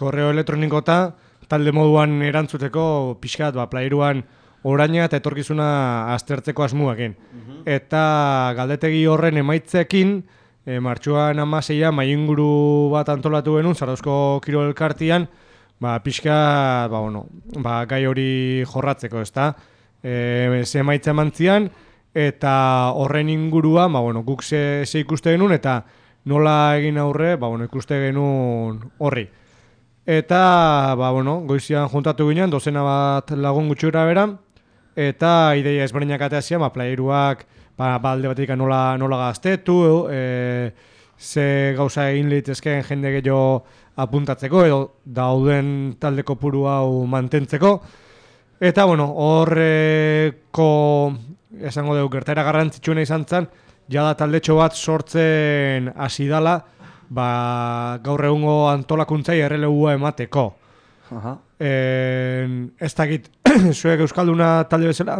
korreo elektronikota talde moduan erantzuteko pixkat Playeruan oraina eta etorkizuna aztertzeko asmuakin. Eta galdetegi horren emaitzekin martxuan 16 mainguru bat antolatu genuen Zarauzko Kirol Elkartian pixka, gai hori jorratzeko, ezta? Ze emaitza mantzian, eta horren ingurua, guk ze ikuste genuen, eta nola egin aurre, ikuste genuen horri. Eta, goizian juntatu ginen, dozena bat lagun gutxura bera, eta ideia ezberdinak ateazia, Playeruak, alde batik nola gaztetu, ze gauza egin litezkeen jende gehiago apuntatzeko edo dauden talde kopuru hau mantentzeko. Eta, horreko esango dugu gertaera garrantzitsuena izan zen, jada taldetxo bat sortzen hasi dala, gaur egungo antolakuntzai errelegua emateko. Ez dakit, zuek Euskalduna talde bezala,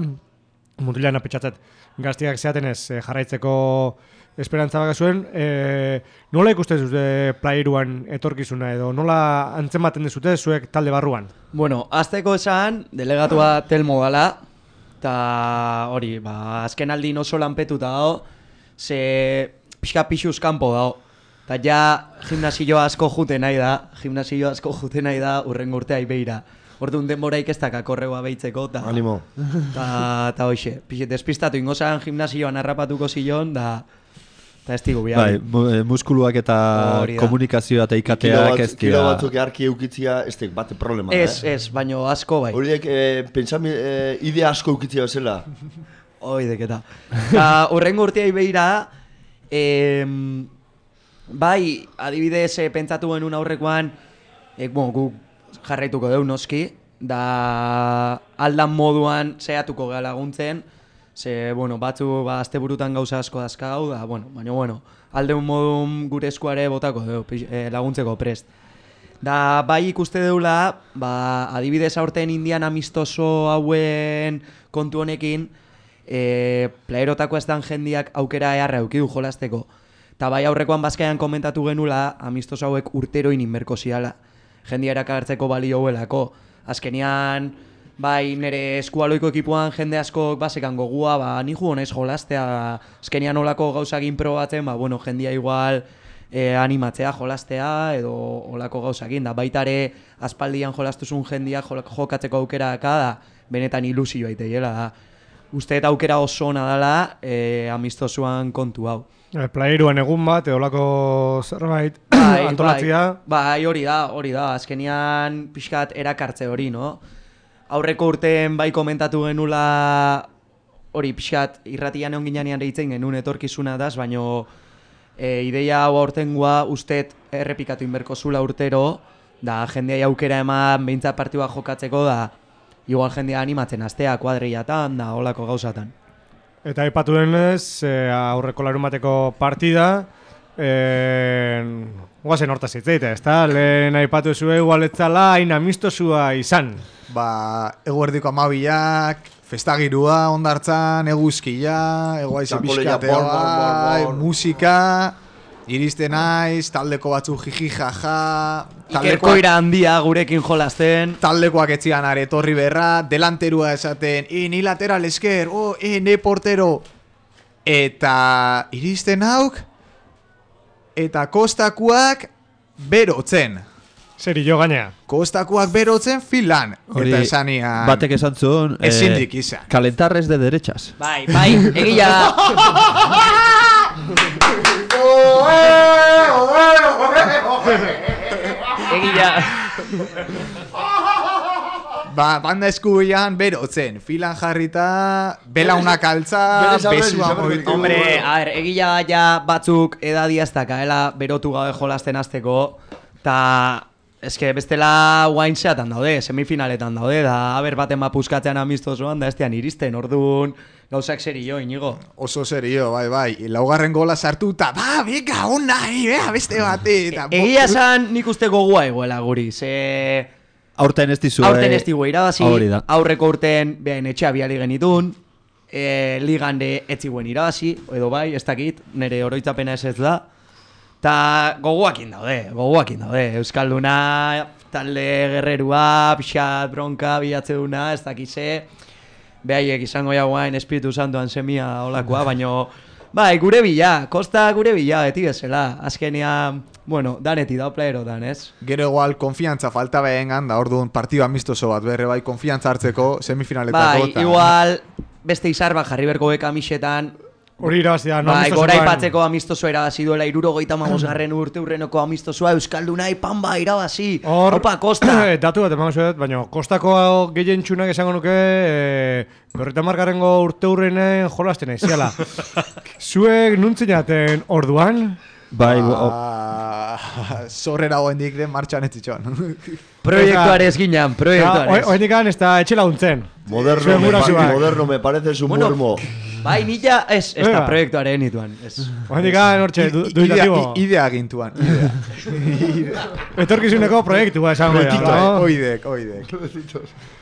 mutilean apetxatzet, gaztiak zeaten ez jarraitzeko esperantza baka zuen, nola ikusten zute Playeruan etorkizuna edo nola antzematen dezute zuek talde barruan? Azteko esan, delegatua Telmo gala, eta hori, azken aldin oso lanpetuta dago, ze pixka pixuz kanpo dago. Eta ja gimnasio asko juten nahi da, urrengo urtea ibeira. Orduan denboraik ez dakak korregoa behitzeko, ta... Animo. Ta hoxe, despistatu ingozan gimnasioan harrapatuko zilon, da ez digu bihabi. Bai, muskuluak eta komunikazioa eta ikateak ez dira... Kilo batzuk earki eukitzia, ez tek bate problema, Ez, baino asko bai. Horiek, idea asko eukitzia bezala. Hoidek eta. Ta urrengo urtea ibeira, bai, adibidez, pentsatu genuen aurrekoan, guk jarraituko deu noski, da aldan moduan zehatuko gara laguntzen, ze, batzu, asteburutan gauza asko dazkagau, da, baina, aldeun modun gure eskuare botako deu, laguntzeko prest. Da, bai ikuste deula, adibidez aurten indian amistoso hauen kontu honekin, plaerotako ez dan jendiak aukera eharra eukidu jolasteko. Eta bai aurrekoan bazkaian komentatu genula, amistoso hauek urteroin inberko ziala. Jendia erakartzeko balio huelako. Azkenian, bai nire eskualoiko ekipuan jende asko basekan gogua, ni jugo naiz jolastea, azkenian olako gauzagin probatzen, jendia igual animatzea jolastea edo olako gauzagin. Da baitare aspaldian jolastuzun jendia jokatzeko aukera da, benetan ilusioa iteiela da. Uste eta aukera oso ona dela amistosuan kontu hau. Playeruan egun bat, eolako zerbait antolatzia. Bai, hori da, azkenian pixkat erakartze hori, no? Aurreko urten bai komentatu genula hori pixkat irratian egon ginean deitzen genuen etorkizuna daz, baino ideia hau aurtengoa ustet errepikatu inberko zula urtero, da jendea aukera eman behintzat partidua jokatzeko, da igual jendea animatzen astea kuadriatan, da holako gauzatan. Eta aipatu denez, aurreko larumateko partida, guazen hortaz hitzeite, ezta? Lehen aipatu zuen igualetzala hain amistosua izan. Eguerdiko amabiak, festagirua ondartzan, eguzkia, egoaize pixkatea, musika, iristen naiz, taldeko batzu jiji jaja... Ikerkoira handia gurekin jolasten. Taldekoak etzian etorri berra, delanterua esaten, ni lateral esker, ne portero. Eta iristen hauk, eta kostakuak berotzen. Zeri jo gaina. Kostakuak berotzen filan. Eta esanian... Batek esan zuen... Ezindik izan. Kalentarrez de derechas. Bai, egia da. Egia. Banda eskubian berotzen, filan jarrita, belaunak altza, besua moitu. Hombre, egia ja batzuk edadiaztakaela berotu gabe jolasten azteko, eta eske bestela guain zeatan daude, semifinaletan daude, da baten puskatzean amistosoan, da estean iristen, orduan gauzak serio, Inigo. Oso serio, bai, laugarren gola sartu, eta beka, onai, beste bate. Egia esan nik uste gogua egoela guri, ze... Aurten ez dizu irabazi, aurreko urten behain etxea biali genitun, ligan de etziguen irabazi, edo bai, ez dakit, nire oroitzapena ez da, eta gogoakin daude, Euskalduna, talde gerrerua, pixat, bronka, bilatzeduna, ez dakize, behaiek izango jagoain Espiritu Santuan semia olakoa, baino, bai, gure bila, kosta gure bila, beti bezala, azkenean, daneti da playerotan, ez? Gero igual, konfiantza falta behengan, da orduan partido amistoso bat berre bai, konfiantza hartzeko semifinaletako. Bai, igual, beste izar bat jarri berko beka amisetan, hori irabazia, no amistosoan. Bai, gora ipatzeko amistosoa irabazi duela, 75. urte urrenoko amistosoa, Euskaldunai panba irabazi. Opa, Kosta. Datu bat emango zuet, baina Kostako gehien txunak esango nuke, 50. urte urrenen jolasten aiziala. Zuek nuntzinaten orduan? Bai, zorrera goendik den martxan ez ditxon. Proiektuarez ginean, proiektuarez. Oendikan ez da etxe laguntzen. Moderno me parece su muermo. Bai, nila ez da proiektuaren nituan. Oendikan hortxe, duitatibo. Idea gintuan. Etorkizuneko proiektua esango da. Oidek.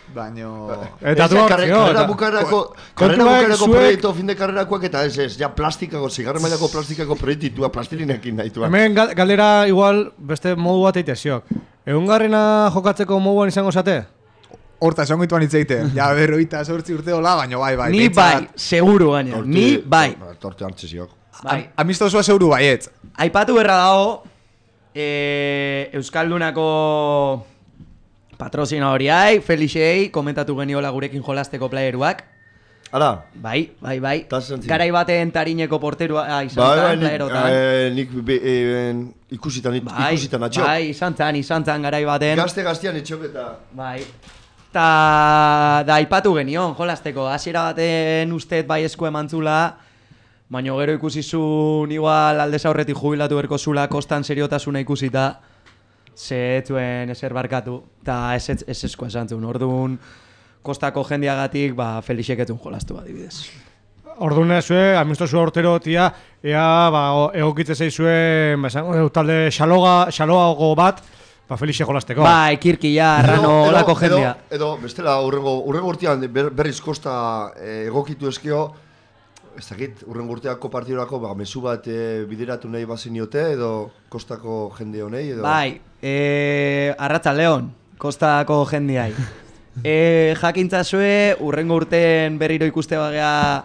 Baino... Eta du karrera bukarako proiektu, fin de karrerakoak eta ez, ja plastikako, zigarren mailako plastikako proiektua, plastilinekin nahituan. Hemen galdera igual beste modu bat eiteziok. Egungarrena jokatzeko moduan izango zate? Horta, esan goituan itzeiten. Ja, 48 urte hola, baino bai. Ni bai, seguru gaina. Ni bai. Torte hartzeziok. Amistosua zeuru baietz. Aipatu berra dago, Euskaldunako patrozinadoriai, Felixei, komentatu geniola gurekin jolasteko playeruak. Hala? Bai. Garai baten Tarineko porterua izan zan, playerotan. Nik ikusitan atxok. Bai, izan zan garai baten. Gaztean etxok eta... Bai. Da aipatu genion, jolasteko. Hasiera baten ustez bai esku emantzula, baina gero ikusizun igual aldez aurretik jubilatu berko zula kostan seriotasuna ikusita, zetuen ezer barkatu, eta ez esku esan zuen. Orduan, kostako jendiagatik, Felixek etun jolastu adibidez. Orduan zue, amistosu urtero tia, ea egokitze zeizue, talde xaloago bat, Felixe jolasteko. Kirkia, Arrano, olako jendea. Edo, bestela, urrengo urtean berriz kosta egokitu eskio, ez dakit, urrengo urteako partidorako mezu bat bideratu nahi baziniote, edo kostako jende honei, edo... Arratzaldeon, kostako jendeai. Jakintzazue, urrengo urten berriro ikuste bagea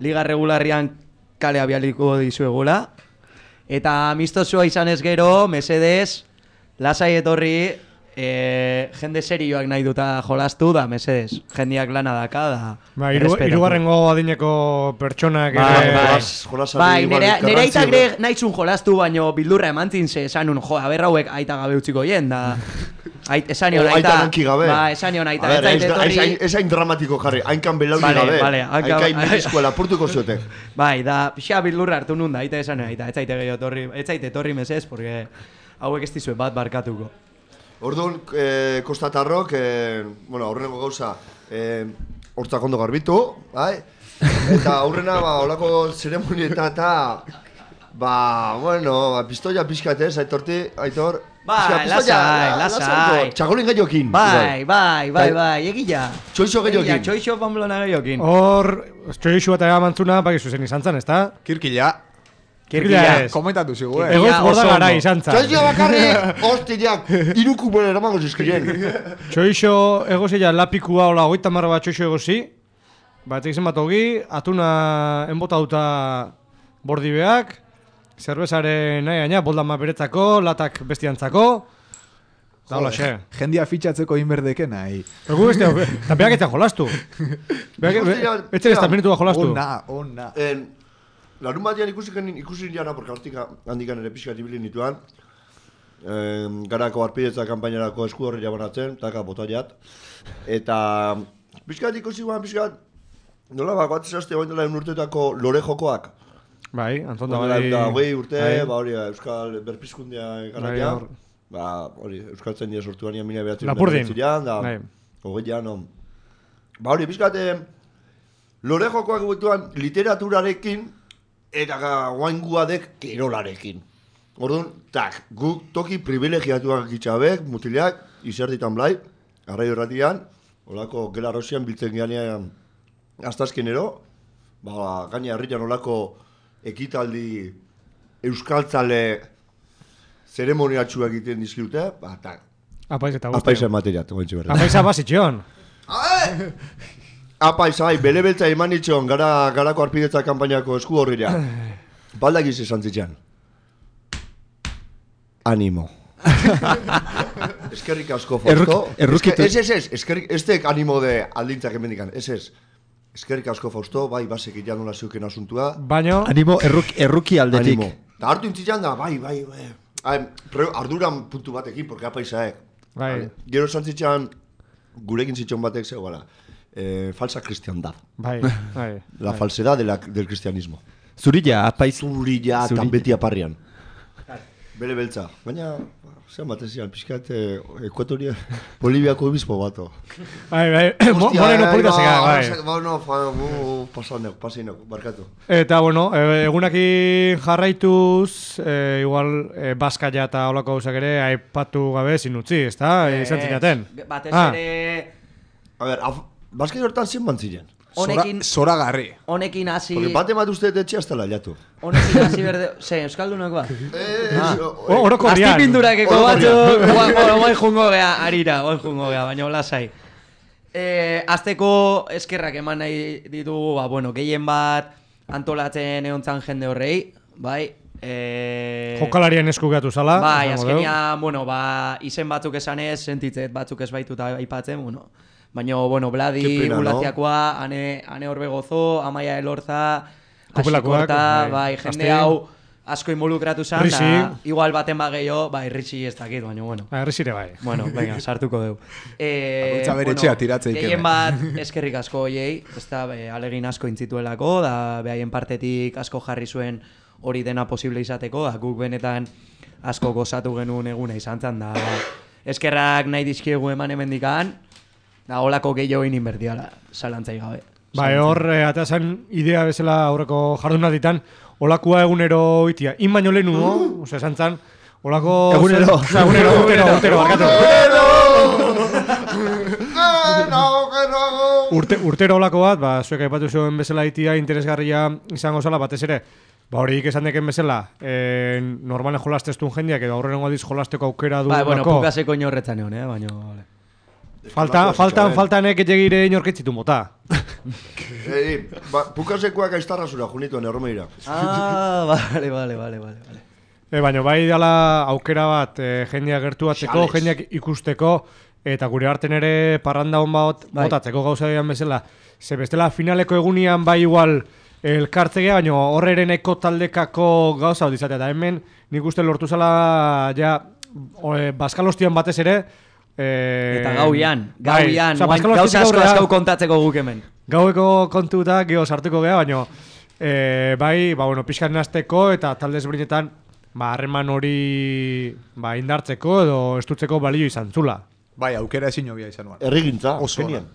liga regularrian kale abialiko dizuegula. Eta amistosua izan ez gero, mesedez, lasai etorri, jende serioak nahi duta jolastu da, mesedez. Jendeak lana daka da. Hirugarrengo adineko pertsonak... Nere aitak nahizun jolastu, baino bildurra emantzin ze esanun, aber hauek aita gabe utziko jen, da... Esan nion aita... Esan nion aita... Esain dramatiko jarri, hainkan belauni gabe. Hainkan milizkoa lapurtuko ziote. Da, pixa bildurra hartu nun da, aita esan nion aita. Ez zaite etorri mesez, porque hauek ez dizue bat barkatuko. Orduan, kostatarrok, aurreneko gauza, hortzak ondo garbitu, eta aurrena, holako zeremonietan eta, pistoia pixkatez, Aitor, lasai. Txagolin gaiokin. Bai, egila. Txoixo gaiokin. Txoixo Pamplona gaiokin. Hor, txoixo bat egamantzuna, zuzen izan zan, ez da? Kirkila, komentatu zigu, Egoiz borda gara izan zan. Txoixo bakarrik, hostiak, iruku bere eramango zizkien. Txoixo egozia lapikua, hola, 30 bat txoixo egozi, bat egizan bat hogi, atuna enbota duta bordibeak, zerbezaren nahi gaina, boldama beretzako, latak bestiantzako, da hola xe. Jendia fitxatzeko inberdeke nahi. Egu beste, eta beak etzan jolastu. Etzen ez minutua jolastu. Ona. Larun batean ikusi niana, porque handikan ere pixkat ibili nituan, garako arpidetza kampainarako esku horri jabanatzen, taka botaiat, eta pixkat ikusi guan, nola bat zehazte goen dela urteetako lore jokoak. Bai, Anton da bai. Urte, Euskal Berpizkundea garaia, Euskal Zendia sortu baina mina behatzen Lapurdin. Hogeian, pixkat lore jokoak guetuan literaturarekin, eta guainguadek kirolarekin. Orduan, guk toki privilegiatuak gitxabek, mutileak, izerditan blai, arraio erratian, olako gela rosian biltzen ganean astazkenero, gaina herrian olako ekitaldi euskaltzale zeremoniatxua egiten dizkiute, apaiz eta guzti. Apaiz emateriat, goentxe berda. Apaiz abazitxon. Apaiz, bele beltza eman itxon, garako arpidetza kanpainako esku horrira. Baldagiz esan zitxan. Animo. Eskerrik asko, Fausto. Ez tek animo de aldintzak emendikan, ez. Eskerrik asko, Fausto, bai, basek ilan nola zeuken asuntua. Baina... Animo, erruki aldetik. Animo. Ta hartu intzitzen da, bai. Arduran puntu batekin, porque apaizaek. Bai. Gero esan zitzen, gurekin zitzen batek zegoela. Falsa cristiandad. Bai. La falsedad del cristianismo. Zurilla, apaiz. Zurilla, tan beti aparrian. Bele beltza. Baina, zean batezian, pixkat, Ekuatoria, Boliviako obispo bato. Bai. Moreno polita zega, bai. Bueno, pasainak, barkatu. Eta, egunaki jarraituz, igual, Baskaia eta holako gauzak ere, aipatu gabe zinutzi, ez da? Izan zinaten. Batez ere... A ber, Baskaia hortan zen bantzilen. Zora garri. Honekin hasi... Porque bate bat uste etxe hasta la jatu. Honekin hasi berde... Euskaldunak ba? Oroko rian. Aztipindurakeko batzu... Oain jungo gea, arira, baina lasai. Azteko eskerrak eman nahi ditugu, gehien bat... antolatzen egontzan jende horrei, bai. Jokalarien eskugatu zala. Bai, azkenia, bueno, izen batzuk esanez, sentitzet batzuk ez baituta aipatzen, bueno. Baina, bueno, Bladi, Gulaziakoa, ane horbe gozo, Amaia Elorza, Asikorta, bai, jende hau asko involukratu zan, da, igual baten gehiago, bai, Ritsi ez dakit, baina, bueno. Ritsire bai. Bueno, venga, sartuko dugu. Bakoitza bere etxea tiratzeik. Gehien bat eskerrik asko hoiei, ez da, alegin asko intzituelako, da, behaien partetik asko jarri zuen hori dena posible izateko, da, guk benetan asko gozatu genuen eguna izan zen, da, eskerrak nahi dizkiegu eman hemendikan, da, holako gehiago inbertiala, zalantzai gabe. Bai, hor, atazen idea bezala aurreko jarduna ditan, olakua egunero itia. In baino lehenu, ose, esan zan, olako... Egunero. Urtero, barkatu. Urtero olako bat, zuek aipatu zuen bezala itia interesgarria izango zala, batez ere, horiek esan deken bezala, normalen jolasteztun jendeak, edo aurrenengo adiz jolasteko aukera du. Bai, bueno, pukaseko inorretzan egon, baina... Faltan egire inorketzitu mota. Pukasekoak aiztarra zura junituen erromeira. Vale. Baina bai dala aukera bat jendeak gertuatzeko, jendeak ikusteko, eta gure arten ere parranda hon bat botatzeko gauza dian bezala. Ze bestela finaleko egunian bai igual elkartzegea, baina horrereneko taldekako gauza bat izatea. Eta hemen nik uste lortu zala ja Baskalostian batez ere, eta gauian, gauza asko kontatzeko guk hemen. Gaueko kontuta geho sartuko geha, baina bai, bueno, pixkan nazteko eta talde ezberdinetan harreman hori indartzeko edo estutzeko balio izan zula. Bai, aukera ezin hobia izan nuan. Errigintza, genian.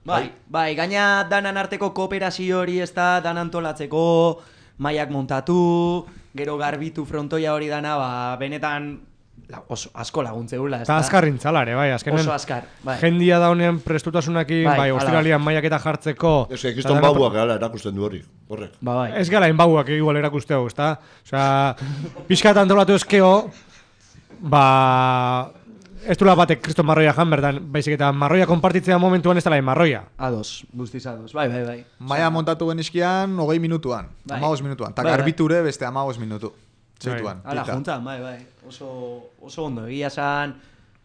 Bai, gaina danan arteko kooperazio hori ez da, danan antolatzeko, maiak montatu, gero garbitu frontoia hori dana, benetan oso asko laguntzeula. Eta azkarrintzalare, bai, azkenen. Oso azkar, bai. Jendia daunen prestutasunakin, bai, ostiralian maiak eta jartzeko. Ez que kiston bauak gala erakusten du hori, horrek. Bai. Ez gala bauak igual erakusteo, ezta? Osea, pixkat antolatu ezkeo, ez dula batek kriston marroia jan bertan, baizik eta marroia konpartitzea momentuan ez dela marroia. Ados, guztiz ados, bai. Maia montatu genizkian 20 minutuan, 15 minutuan, eta garbiture beste 15 minutu. Zeituan, ala, juntan, bai. Oso ondo, egia zan,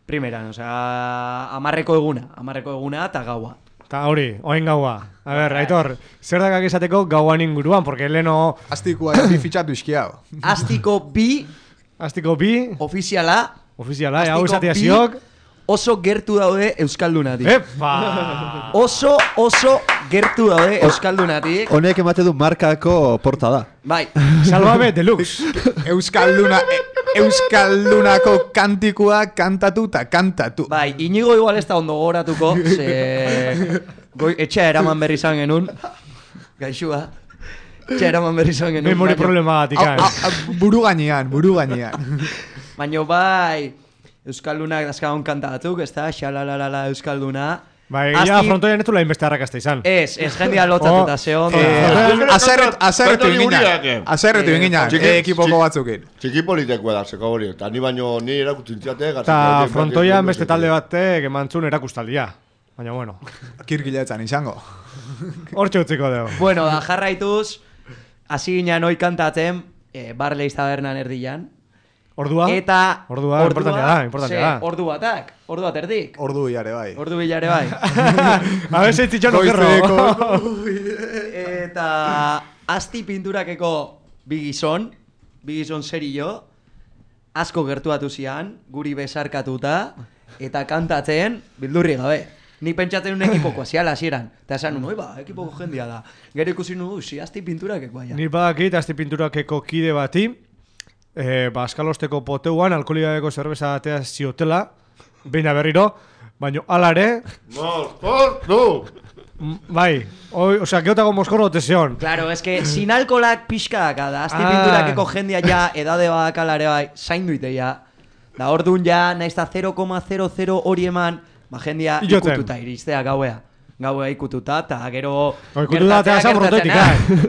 primeran, amarreko eguna eta gaua. Eta hori, oain gaua. A ber, Aitor, zer dakak esateko gauan inguruan, porque leno... Astikoa bi fitxatu izkiau. Astiko bi... Ofiziala, hau esatea ziok... Oso gertu daude Euskaldunatik. Epa! Oso gertu daude Euskaldunatik. Honek emate du markako portada. Bai. Salvame deluxe. Euskaldunako kantikua kantatu eta kantatu. Bai, Inigo igual ez da ondo goratuko, etxea eraman berri izan genuen. Gaixua. Etxea eraman berri izan genuen. Memori problematikan. Buru gainean. Baina bai... Euskaldunak dazkagun kanta batzuk, ez da, xalalalala Euskalduna. Bai, ja, frontoian ez du lain beste harrakazta izan. Ez jendia lotzatuta, zehon. Azerretu inginan, ekipoko batzukin. Txikipolitekoa da, zeko hori, eta ni baino ni erakutintziate. Eta frontoian beste talde batek emantzun erakustaldia. Baina, bueno. Kirkiletzan izango. Hortxe utziko dugu. Bueno, da jarraituz, hasi ginen hoi kantatzen, Barleiz tabernan erdian. Ordua? Importantea da. Ordu bat erdik. Ordu bilare bai. A ver, zitxan okerro. Eta asti pinturakeko bi gizon serio, asko gertuatu zian, guri besarkatuta, eta kantatzen bildurri gabe. Ni pentsatzen un ekipoko aziala hasieran. Eta esan un, ekipoko jendia da. Gero ikusi nu, asti pinturakeko aia. Ni badakit asti pinturakeko kide bati, Baskalosteko poteuan alkoholikadeko zerbeza atea ziotela, beina berriro, baina alare... Bai, osea, geotago moskorro ote zeon. Claro, es que sin alkolak pixka da, asti pinturakeko jendia ja edade badak alare bai, zaindu iteia. Da orduan ja, naizta 0,00 hori eman, jendia ikututa iristea gauea. Gaua ikututa, eta gero... gertatzen,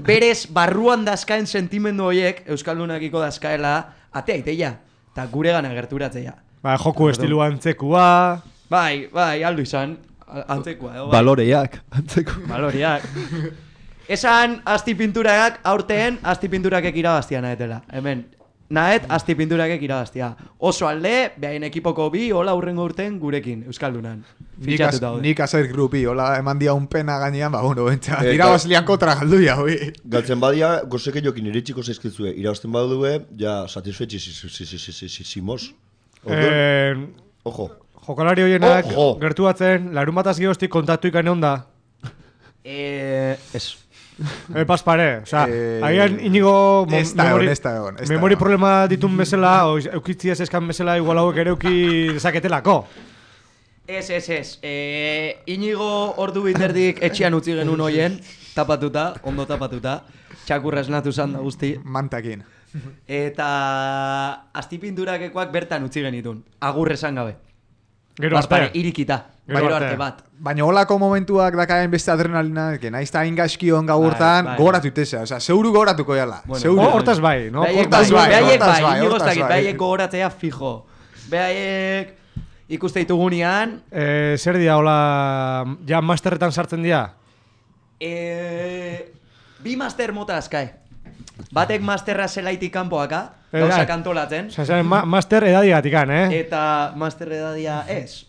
berez barruan dazkaen sentimendu horiek, Euskaldunakiko dazkaela, atea iteia, eta gure gana gerturatzea. Bai, joku estilu antzekua... Bai, aldu izan, antzekua. Baloreak, antzekua. Baloreak. Esan aztipinturak aurten aztipinturakek irabaztia nahetela. Hemen, nahet aztipinturakek irabaztia. Oso alde, behain ekipoko bi, hola urrengo urten gurekin, Euskaldunan. Nik azer grupi, hola eman dia un pena gainean, ba, bueno, bentsa, irabazlian kontra galduia, hoi. Galtzen badia, gozeke jokin iritsiko zaizkizue, irabazten badue, ja, satisfetxizimos. Ojo. Jokalari horienak gertu batzen, larun bataz gehoztik kontaktu ikane onda. Ez. Paspare, oza, agian inigo memori problema ditun bezala, eukitziaz eskan bezala, igual hauek ere euki desaketelako. Ez. Inigo ordu biterdik etxean utzi genuen hoien, tapatuta, ondo tapatuta, txakurra esnatu zan da guzti. Mantakin. Eta aztipinturakekoak bertan utzi genitun, agur esan gabe. Gero arte. Irikita, gero arte bat. Baina holako momentuak dakaen beste adrenalina, naizta ingaskion gaurtan, gogoratu itezea, oza, zeuru gogoratuko jala. Hortaz bai, no? Behaiek gogoratzea fijo. Behaiek ikuste ditugunean. Zer dia, hola, ja masterretan sartzen dia? Bi master mota azkai. Batek masterra zelaitik kanpoaka, gauzak antolatzen. Master edadiatikan, Eta master edadia ez.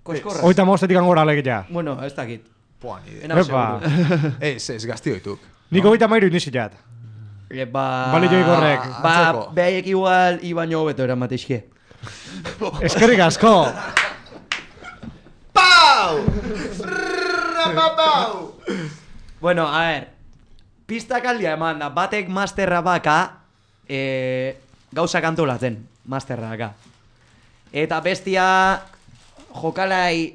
Koskorra. Oita maustetikan gora alegitea. Bueno, ez dakit. Ez, gaztio dituk. Niko oita mairu iniziat. Bali joik horrek. Behaiek igual ibaino hobeto eramatizke. Eskerrik asko! Pau! Bueno, a ver. Pistak aldia eman da, batek masterra baka gauzak antolatzen, masterra baka. Eta bestia jokalai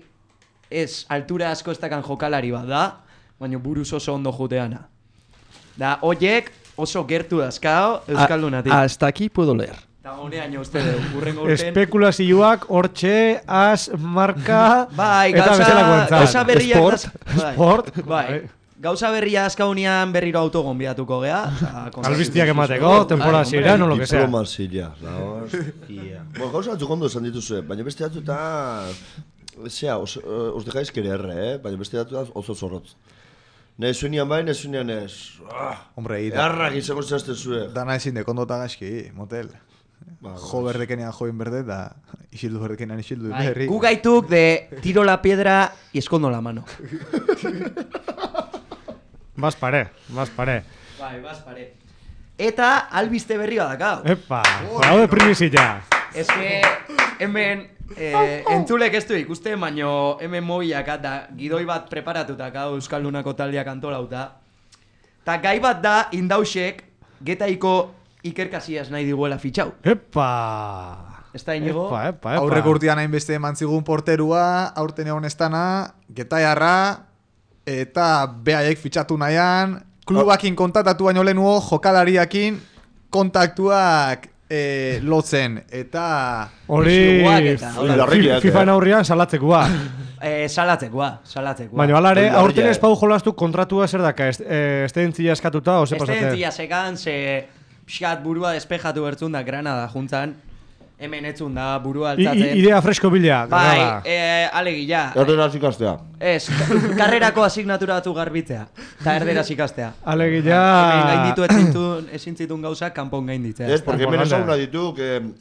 ez altura asko ez dakan jokalari bat da, baina buruz oso ondo juteana. Da, oiek oso gertu dazkao Euskaldunatik. Hasta aquí puedo leer. Eta honean uste dugu, urrengo urten. Espekulazioak, hortxe, az, marka, eta bezalako entzat. Gauza berriak Sport. Bai. Gauza berria azkaunian berriro autogon bidatuko gea. Albiztiak emateko, temporada ziren, o lo que sea. Diplomazia, la hostia. Bueno, gauza batzuk ondo esan dituzue, baina beste datu eta... Zea, os dejaiz querer, baina beste datu da oso zorrotz. Nezuenian bai, nezuenian ez. Hombre, Errak izango zazte zue. Dana ezin de kondota gaizki, motel. Jo berdekenean join berde, da isildu berdekenean isildu berri. Gu gaituk de tiro la piedra y escondo la mano. Bas pare. Bai, bas pare. Eta albiste berri badakau. Epa, hau de primizia. Ez que hemen entzulek ez du ikuste, baino hemen mobilak da gidoi bat preparatutak hau Euskaldunako taldeak antolauta. Ta gai bat da indausek getaiko ikerkasiaz nahi diguela fitxau. Epa! Ez da inigo? Epa. Aurreko urtean hainbeste eman zigun porterua, aurten egon estana, getaiarra, eta behaiek fitxatu nahian, klubakin kontaktatu baino lehenuo, jokalariakin kontaktuak lotzen, eta... Hori, FIFA aurrian salatzekoa. Salatzekoa. Baina alare, aurten ez pau jolastu kontratua zer daka, estedentzia eskatuta, ose pasate? Estedentzia sekan, ze pixkat burua despejatu bertzun da Granada juntzan, hemen etzun da burua altzatzen. Idea fresko bila. Bai, alegia. Erderaz ikastea. Ez, karrerako asignatura batu garbitzea. Eta erderaz ikastea. Alegia. Hemen gainditu ezin zitun gauzak kanpon gainditzea. Ez, porque hemen esauna ditu,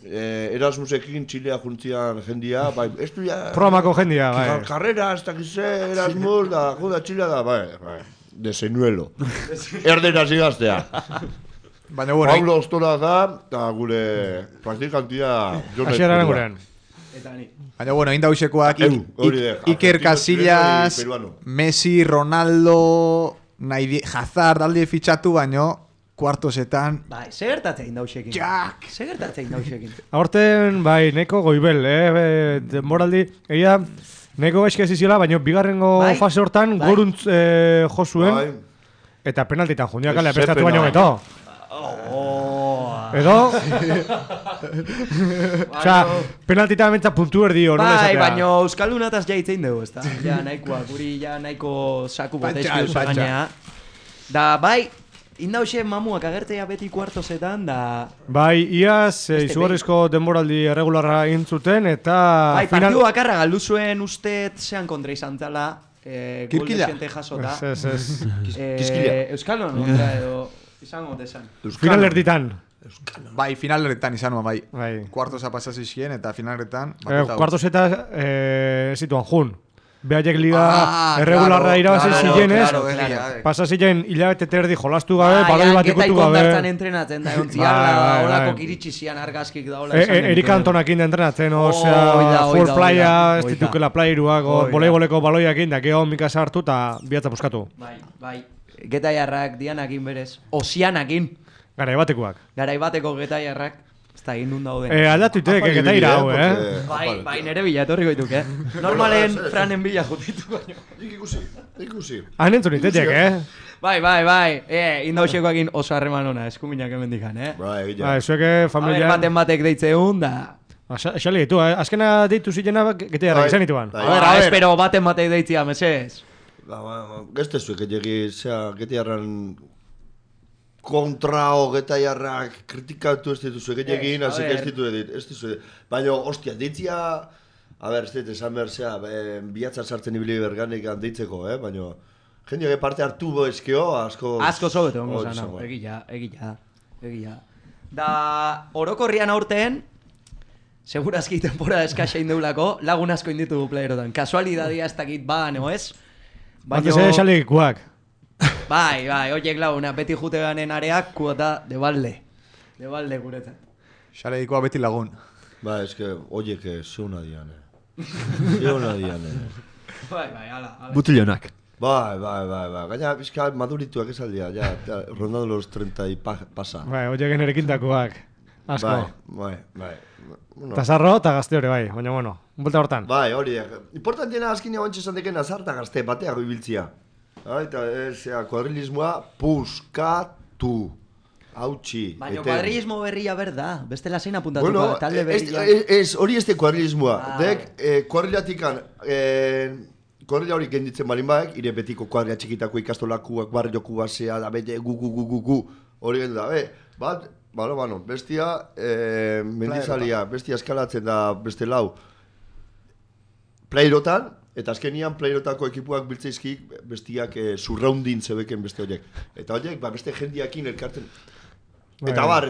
Erasmusekin Txilea juntzian jendia, bai, ez du ya... Programako jendia, bai. Karrera, ez dakize, Erasmus, da, juda Txilea da, bai. Desenuelo. Erderaz ikastea. Baina bueno, Pablo Ostora da, eta gure praktikantia Asiaran gurean. Baina bueno, indausekoak Iker Casillas, Messi, Ronaldo, Hazard aldi fitxatu baino kuartosetan. Bai, segertatzen indausekin. Jak! Segertatzen indausekin. Aurten, bai, neko goibel, denboraldi, egia, neko gaizki eziziola, baina bigarrengo fase hortan goruntz jo zuen, eta penaltitan jundiak alea prestatu baino beto. Edo? Osea, penaltita mentza puntu erdio, nola esatea. Bai, baina Euskaldunataz jaitzein dugu, ez da? Ja, nahikoa, guri ja nahiko saku botezki usaganea. Da, bai, indauxe mamuak agertzea beti kuartosetan, da... Bai, iaz, izugarrizko denboraldi erregularra intzuten, eta... Bai, partidu bakarra galdu zuen ustet zean kontra izan zala, Kirkila? Gol dezente jasota. Ez. Kiskila. Euskal Honora edo izango desan. Finalerditan. Bai, finalerretan izan bai. Bai. Kuartosa pasazizien eta finalerretan... Kuartoseta zituan jun. Behaiek liga erregularra irabazi zirenez, pasa ziren hilabete terdi jolastu gabe, baloi bat ikutu gabe. Geta ikondartzan entrenatzen da, ontziarla, olako kiritsi zian argazkik da, hola esan. Erik Antonakin da entrenatzen, osea, full playa, ez ditukela playeruak, voleiboleko baloiakin, da geho mika sartu eta bihatza buskatu. Bai, getaiarrak dianakin berez, osianakin. Garaibatekoak. Garaibateko getaiarrak. Ez da egin nun dauden. Aldatuitek, getaira hau, Bai, nere bila etorri goituk, Normalen franen bila jutitu baino. Ikusi. Han entzun itetek, Bai. Indauxekoakin oso harreman ona, eskuminak emendikan, Bai, zueke familia... Baten batek deitzeun, da... Xali ditu, azkena deitu zilena getaiarrak izan dituan. Espero baten batek deitzia, mesez. Gazte zuek, getaiarran... kontra getaiarrak kritikatu ez dituzu egin, hasik ez dituzu. Baina, ostia, deitzia... ez dut, esan behar zea, bihatzar sartzen ibili berganik deitzeko, baina... Jendeak parte hartu ezkeo, asko... Asko zobetu, ongo zan, egia. Da, orokorrian aurten, segurazki temporada eskaxa indeulako, lagun asko inditu du playerotan. Kasualidadia ez dakit no ez? Baina... Xalegikuak. Bai, oiek laguna, beti jute ganen areak, kuota de balde guretzat. Xalegikoa beti lagun. Ba, eske, oiek zeuna dian, Bai, ala. Butillonak. Bai. Gaina, bizka madurituak esaldia, rondando los 30 y pasa. Bai, oiek nerekintakoak. Asko. Bai. Tazarro eta gazte hori, bai, baina bueno, bulta hortan. Bai, hori, importantiena azkina bantxe esan deken azarta gazte, bateago ibiltzia. Eta kuadrilismoa puskatu, hautsi. Baina kuadrilismo berria berda, bestela zein apuntatuko, bueno, talde berria. Hori ez de kuadrilismoa, dek kuadrilatikan, kuadrila hori genditzen balin baek, ire betiko kuadrila txikitako ikastolakuak, barrioku basea, da bete gu, hori gendu da, bat, bestia, mendizalia, bestia eskalatzen da beste lau, playerotan, eta azkenian playerotako ekipuak biltzeizkik bestiak surroundin zebeken beste horiek. Eta horiek, beste jendiakin elkartzen. Eta bar,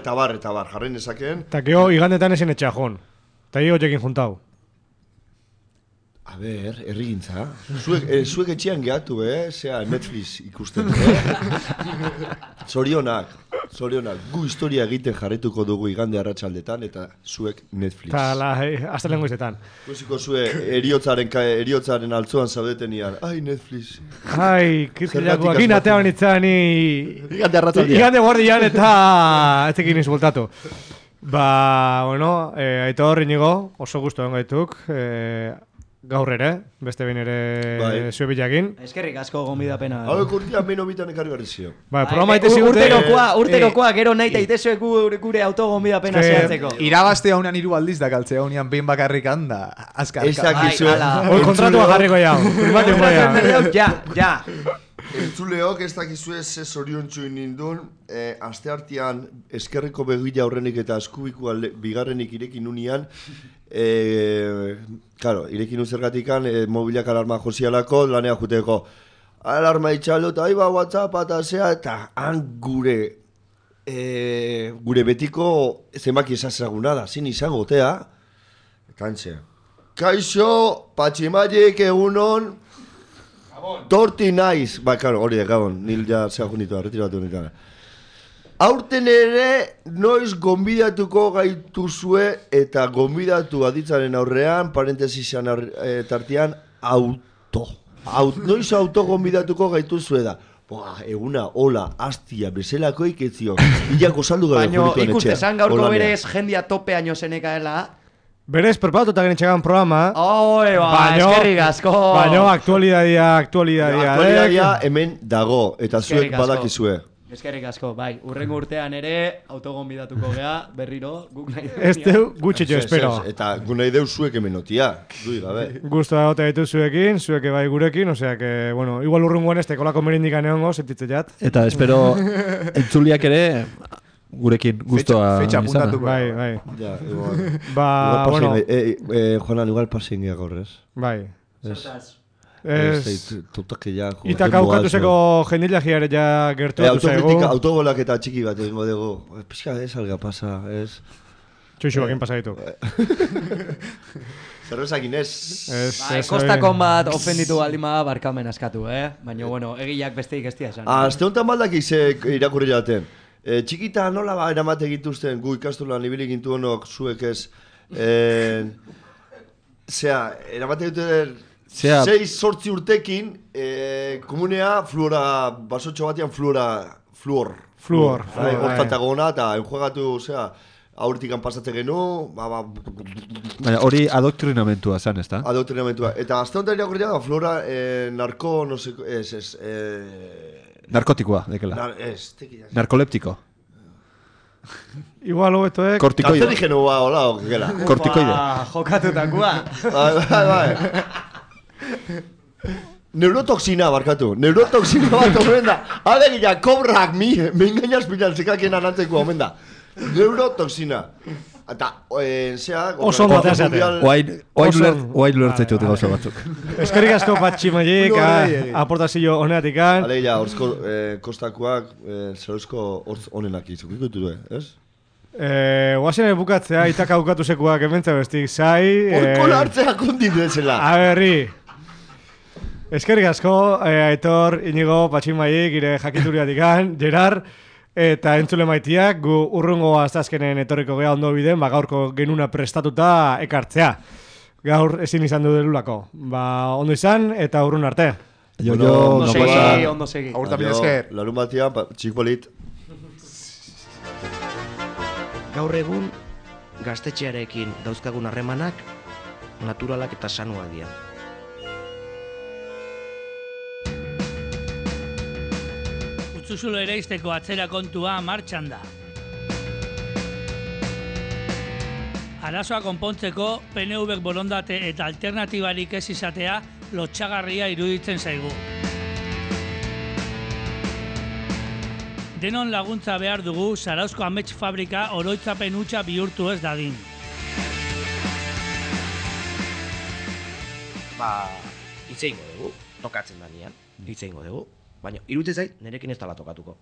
jarren ezaken. Eta geho, igandetan ezin etxea joan. Eta hio horiekin juntau. A ber, errigintza. Zuek etxean gehatu, zea Netflix ikusten. Zorionak. Gu historia egiten jarretuko dugu igande arratsaldetan eta zuek Netflix. Eta aztelen goizetan. Guziko zue eriotzaren altzoan zaudetenian. Ai, Netflix. Ai, kirkilakoak inatean itzani... Igande arratsaldean. Igande guardian eta... ez ekin izbultatu. Aito horri nigo, oso gustu gaituk. Gaur ere, beste behin ere zue bilakin. Eskerrik asko gonbidapena. Hauek urtean behin obitan ekarri berri zio. Programa ite zigute... Urterokoa, gero nahi eta itezuek gure autogonbidapena zehatzeko. Irabazte haunean 3 aldiz da kaltzea haunean behin bakarrik handa. Azkar. Hoi kontratua jarriko jau. Ja. Entzuleok ez dakizue ze zoriontsu nindun, aste hartian eskerriko begila aurrenik eta eskubikoa bigarrenik irekin unian, irekin uzergatikan mobilak alarma josialako lanea juteko. Alarma itxaldo eta aiba WhatsApp eta zea eta han gure betiko zenbaki esazaguna da, zin izango gotea. Kantxe. Kaixo, patximaiek egunon, torti naiz. Hori de gabon, nil ja zehagunitua, retiratu honetan. Aurten ere, noiz gonbidatuko gaituzue eta gonbidatu aditzaren aurrean, parentesisan tartean, noiz auto gonbidatuko gaituzue da. Eguna, hola, hastia, bezelako iketzio. Ilako saldu gabe jurituan etxea. Baina ikustezan gaurko berez jendia topeaino zenekaela. Berez, perpatuta genetxegan programa. Eskerrik asko. Baina, aktualidadia. Hemen dago, eta zuek badakizue. Eskerrik asko, bai. Urrengo urtean ere, autogonbidatuko gea, berriro, guk nahi deu. Ez deu, gutxitxo espero. Eta gu nahi deu zuek emenotia. Dui gabe. Gusto da gote ditu zuekin, zueke bai gurekin, osea que, bueno, igual urrungoan ez tekolako merindikan egongo, sentitze jat. Eta espero, entzuliak ere, gurekin gustoa fecha apuntatuko. Bai. Ja, igual. Bueno. Jonan, igual pasen gehiago horrez. Bai. Zertaz. Eta kaukatuzeko jendilagia ere ja gertu zaigu. Autobolak eta txiki bat egingo dugu. Pizka ez alga pasa, ez? Txoixuakin pasa ditu. Zerbezakin ez. Kostakon bat ofenditu baldima barkamen askatu, Baina, bueno, egiak besteik ez esan. Azte honetan baldak irakurri jaten. Txikita nola eramate egituzten gu ikastolan libili gintu honok zuek ez. Eramate egituzten 6-8 urtekin komunea fluora, basotxo batean fluor. Hortantagona eta enjuegatu, aurtikan pasatzen genu, Baina hori adoktrinamentua zan, ez da? Adoktrinamentua. Eta azte honetan irakurri da, fluora, narko, no sé, narkotikoa, dekela. Narkoleptiko. Igual hobeto, Kortikoide. Kanzerigenua, hola, okela. Kortikoide. Jokatutakoa. Bai. Neurotoxina, barkatu. Neurotoxina bat omen da. Alegia, kobrak mi engainaz pilantzekakien anantzeko omen da. Neurotoxina. Eta, oso ondo ateazate. Oain ulertzaitut gauza batzuk. Eskerrik asko Patximaiek, aportazio honeatikan. Alegia, horzko kostakoak, zerozko hortz honenak izukikutu du, ez? Oazen bukatzea, itaka bukatu sekuak ementza bestik, zai... Horko lartzea konditu ezela. Aberri. Eskerrik asko, Aitor, Inigo, Patximaiek, ire jakituriatikan, Gerard... Eta entzule maitiak, gu urrungo aztazkenen etorriko geha ondo biden, gaurko genuna prestatuta ekartzea. Gaur ezin izan du delulako. Ondo izan eta urrun arte. Ondo segi. Aurta mila esker. Larun batian, txikpolit. Gaur egun, gaztetxearekin dauzkagun harremanak, naturalak eta sanuak dira. Utzuzulo ereizteko atzera kontua martxan da. Arazoa konpontzeko PNV-ek borondate eta alternatibarik ez izatea lotxagarria iruditzen zaigu. Denon laguntza behar dugu Zarauzko amets fabrika oroitzapen hutsa bihurtu ez dadin. Hitz egingo dugu, tokatzen da nian, hitz egingo dugu. Baina, iruditzen zait, nerekin ez dala tokatuko.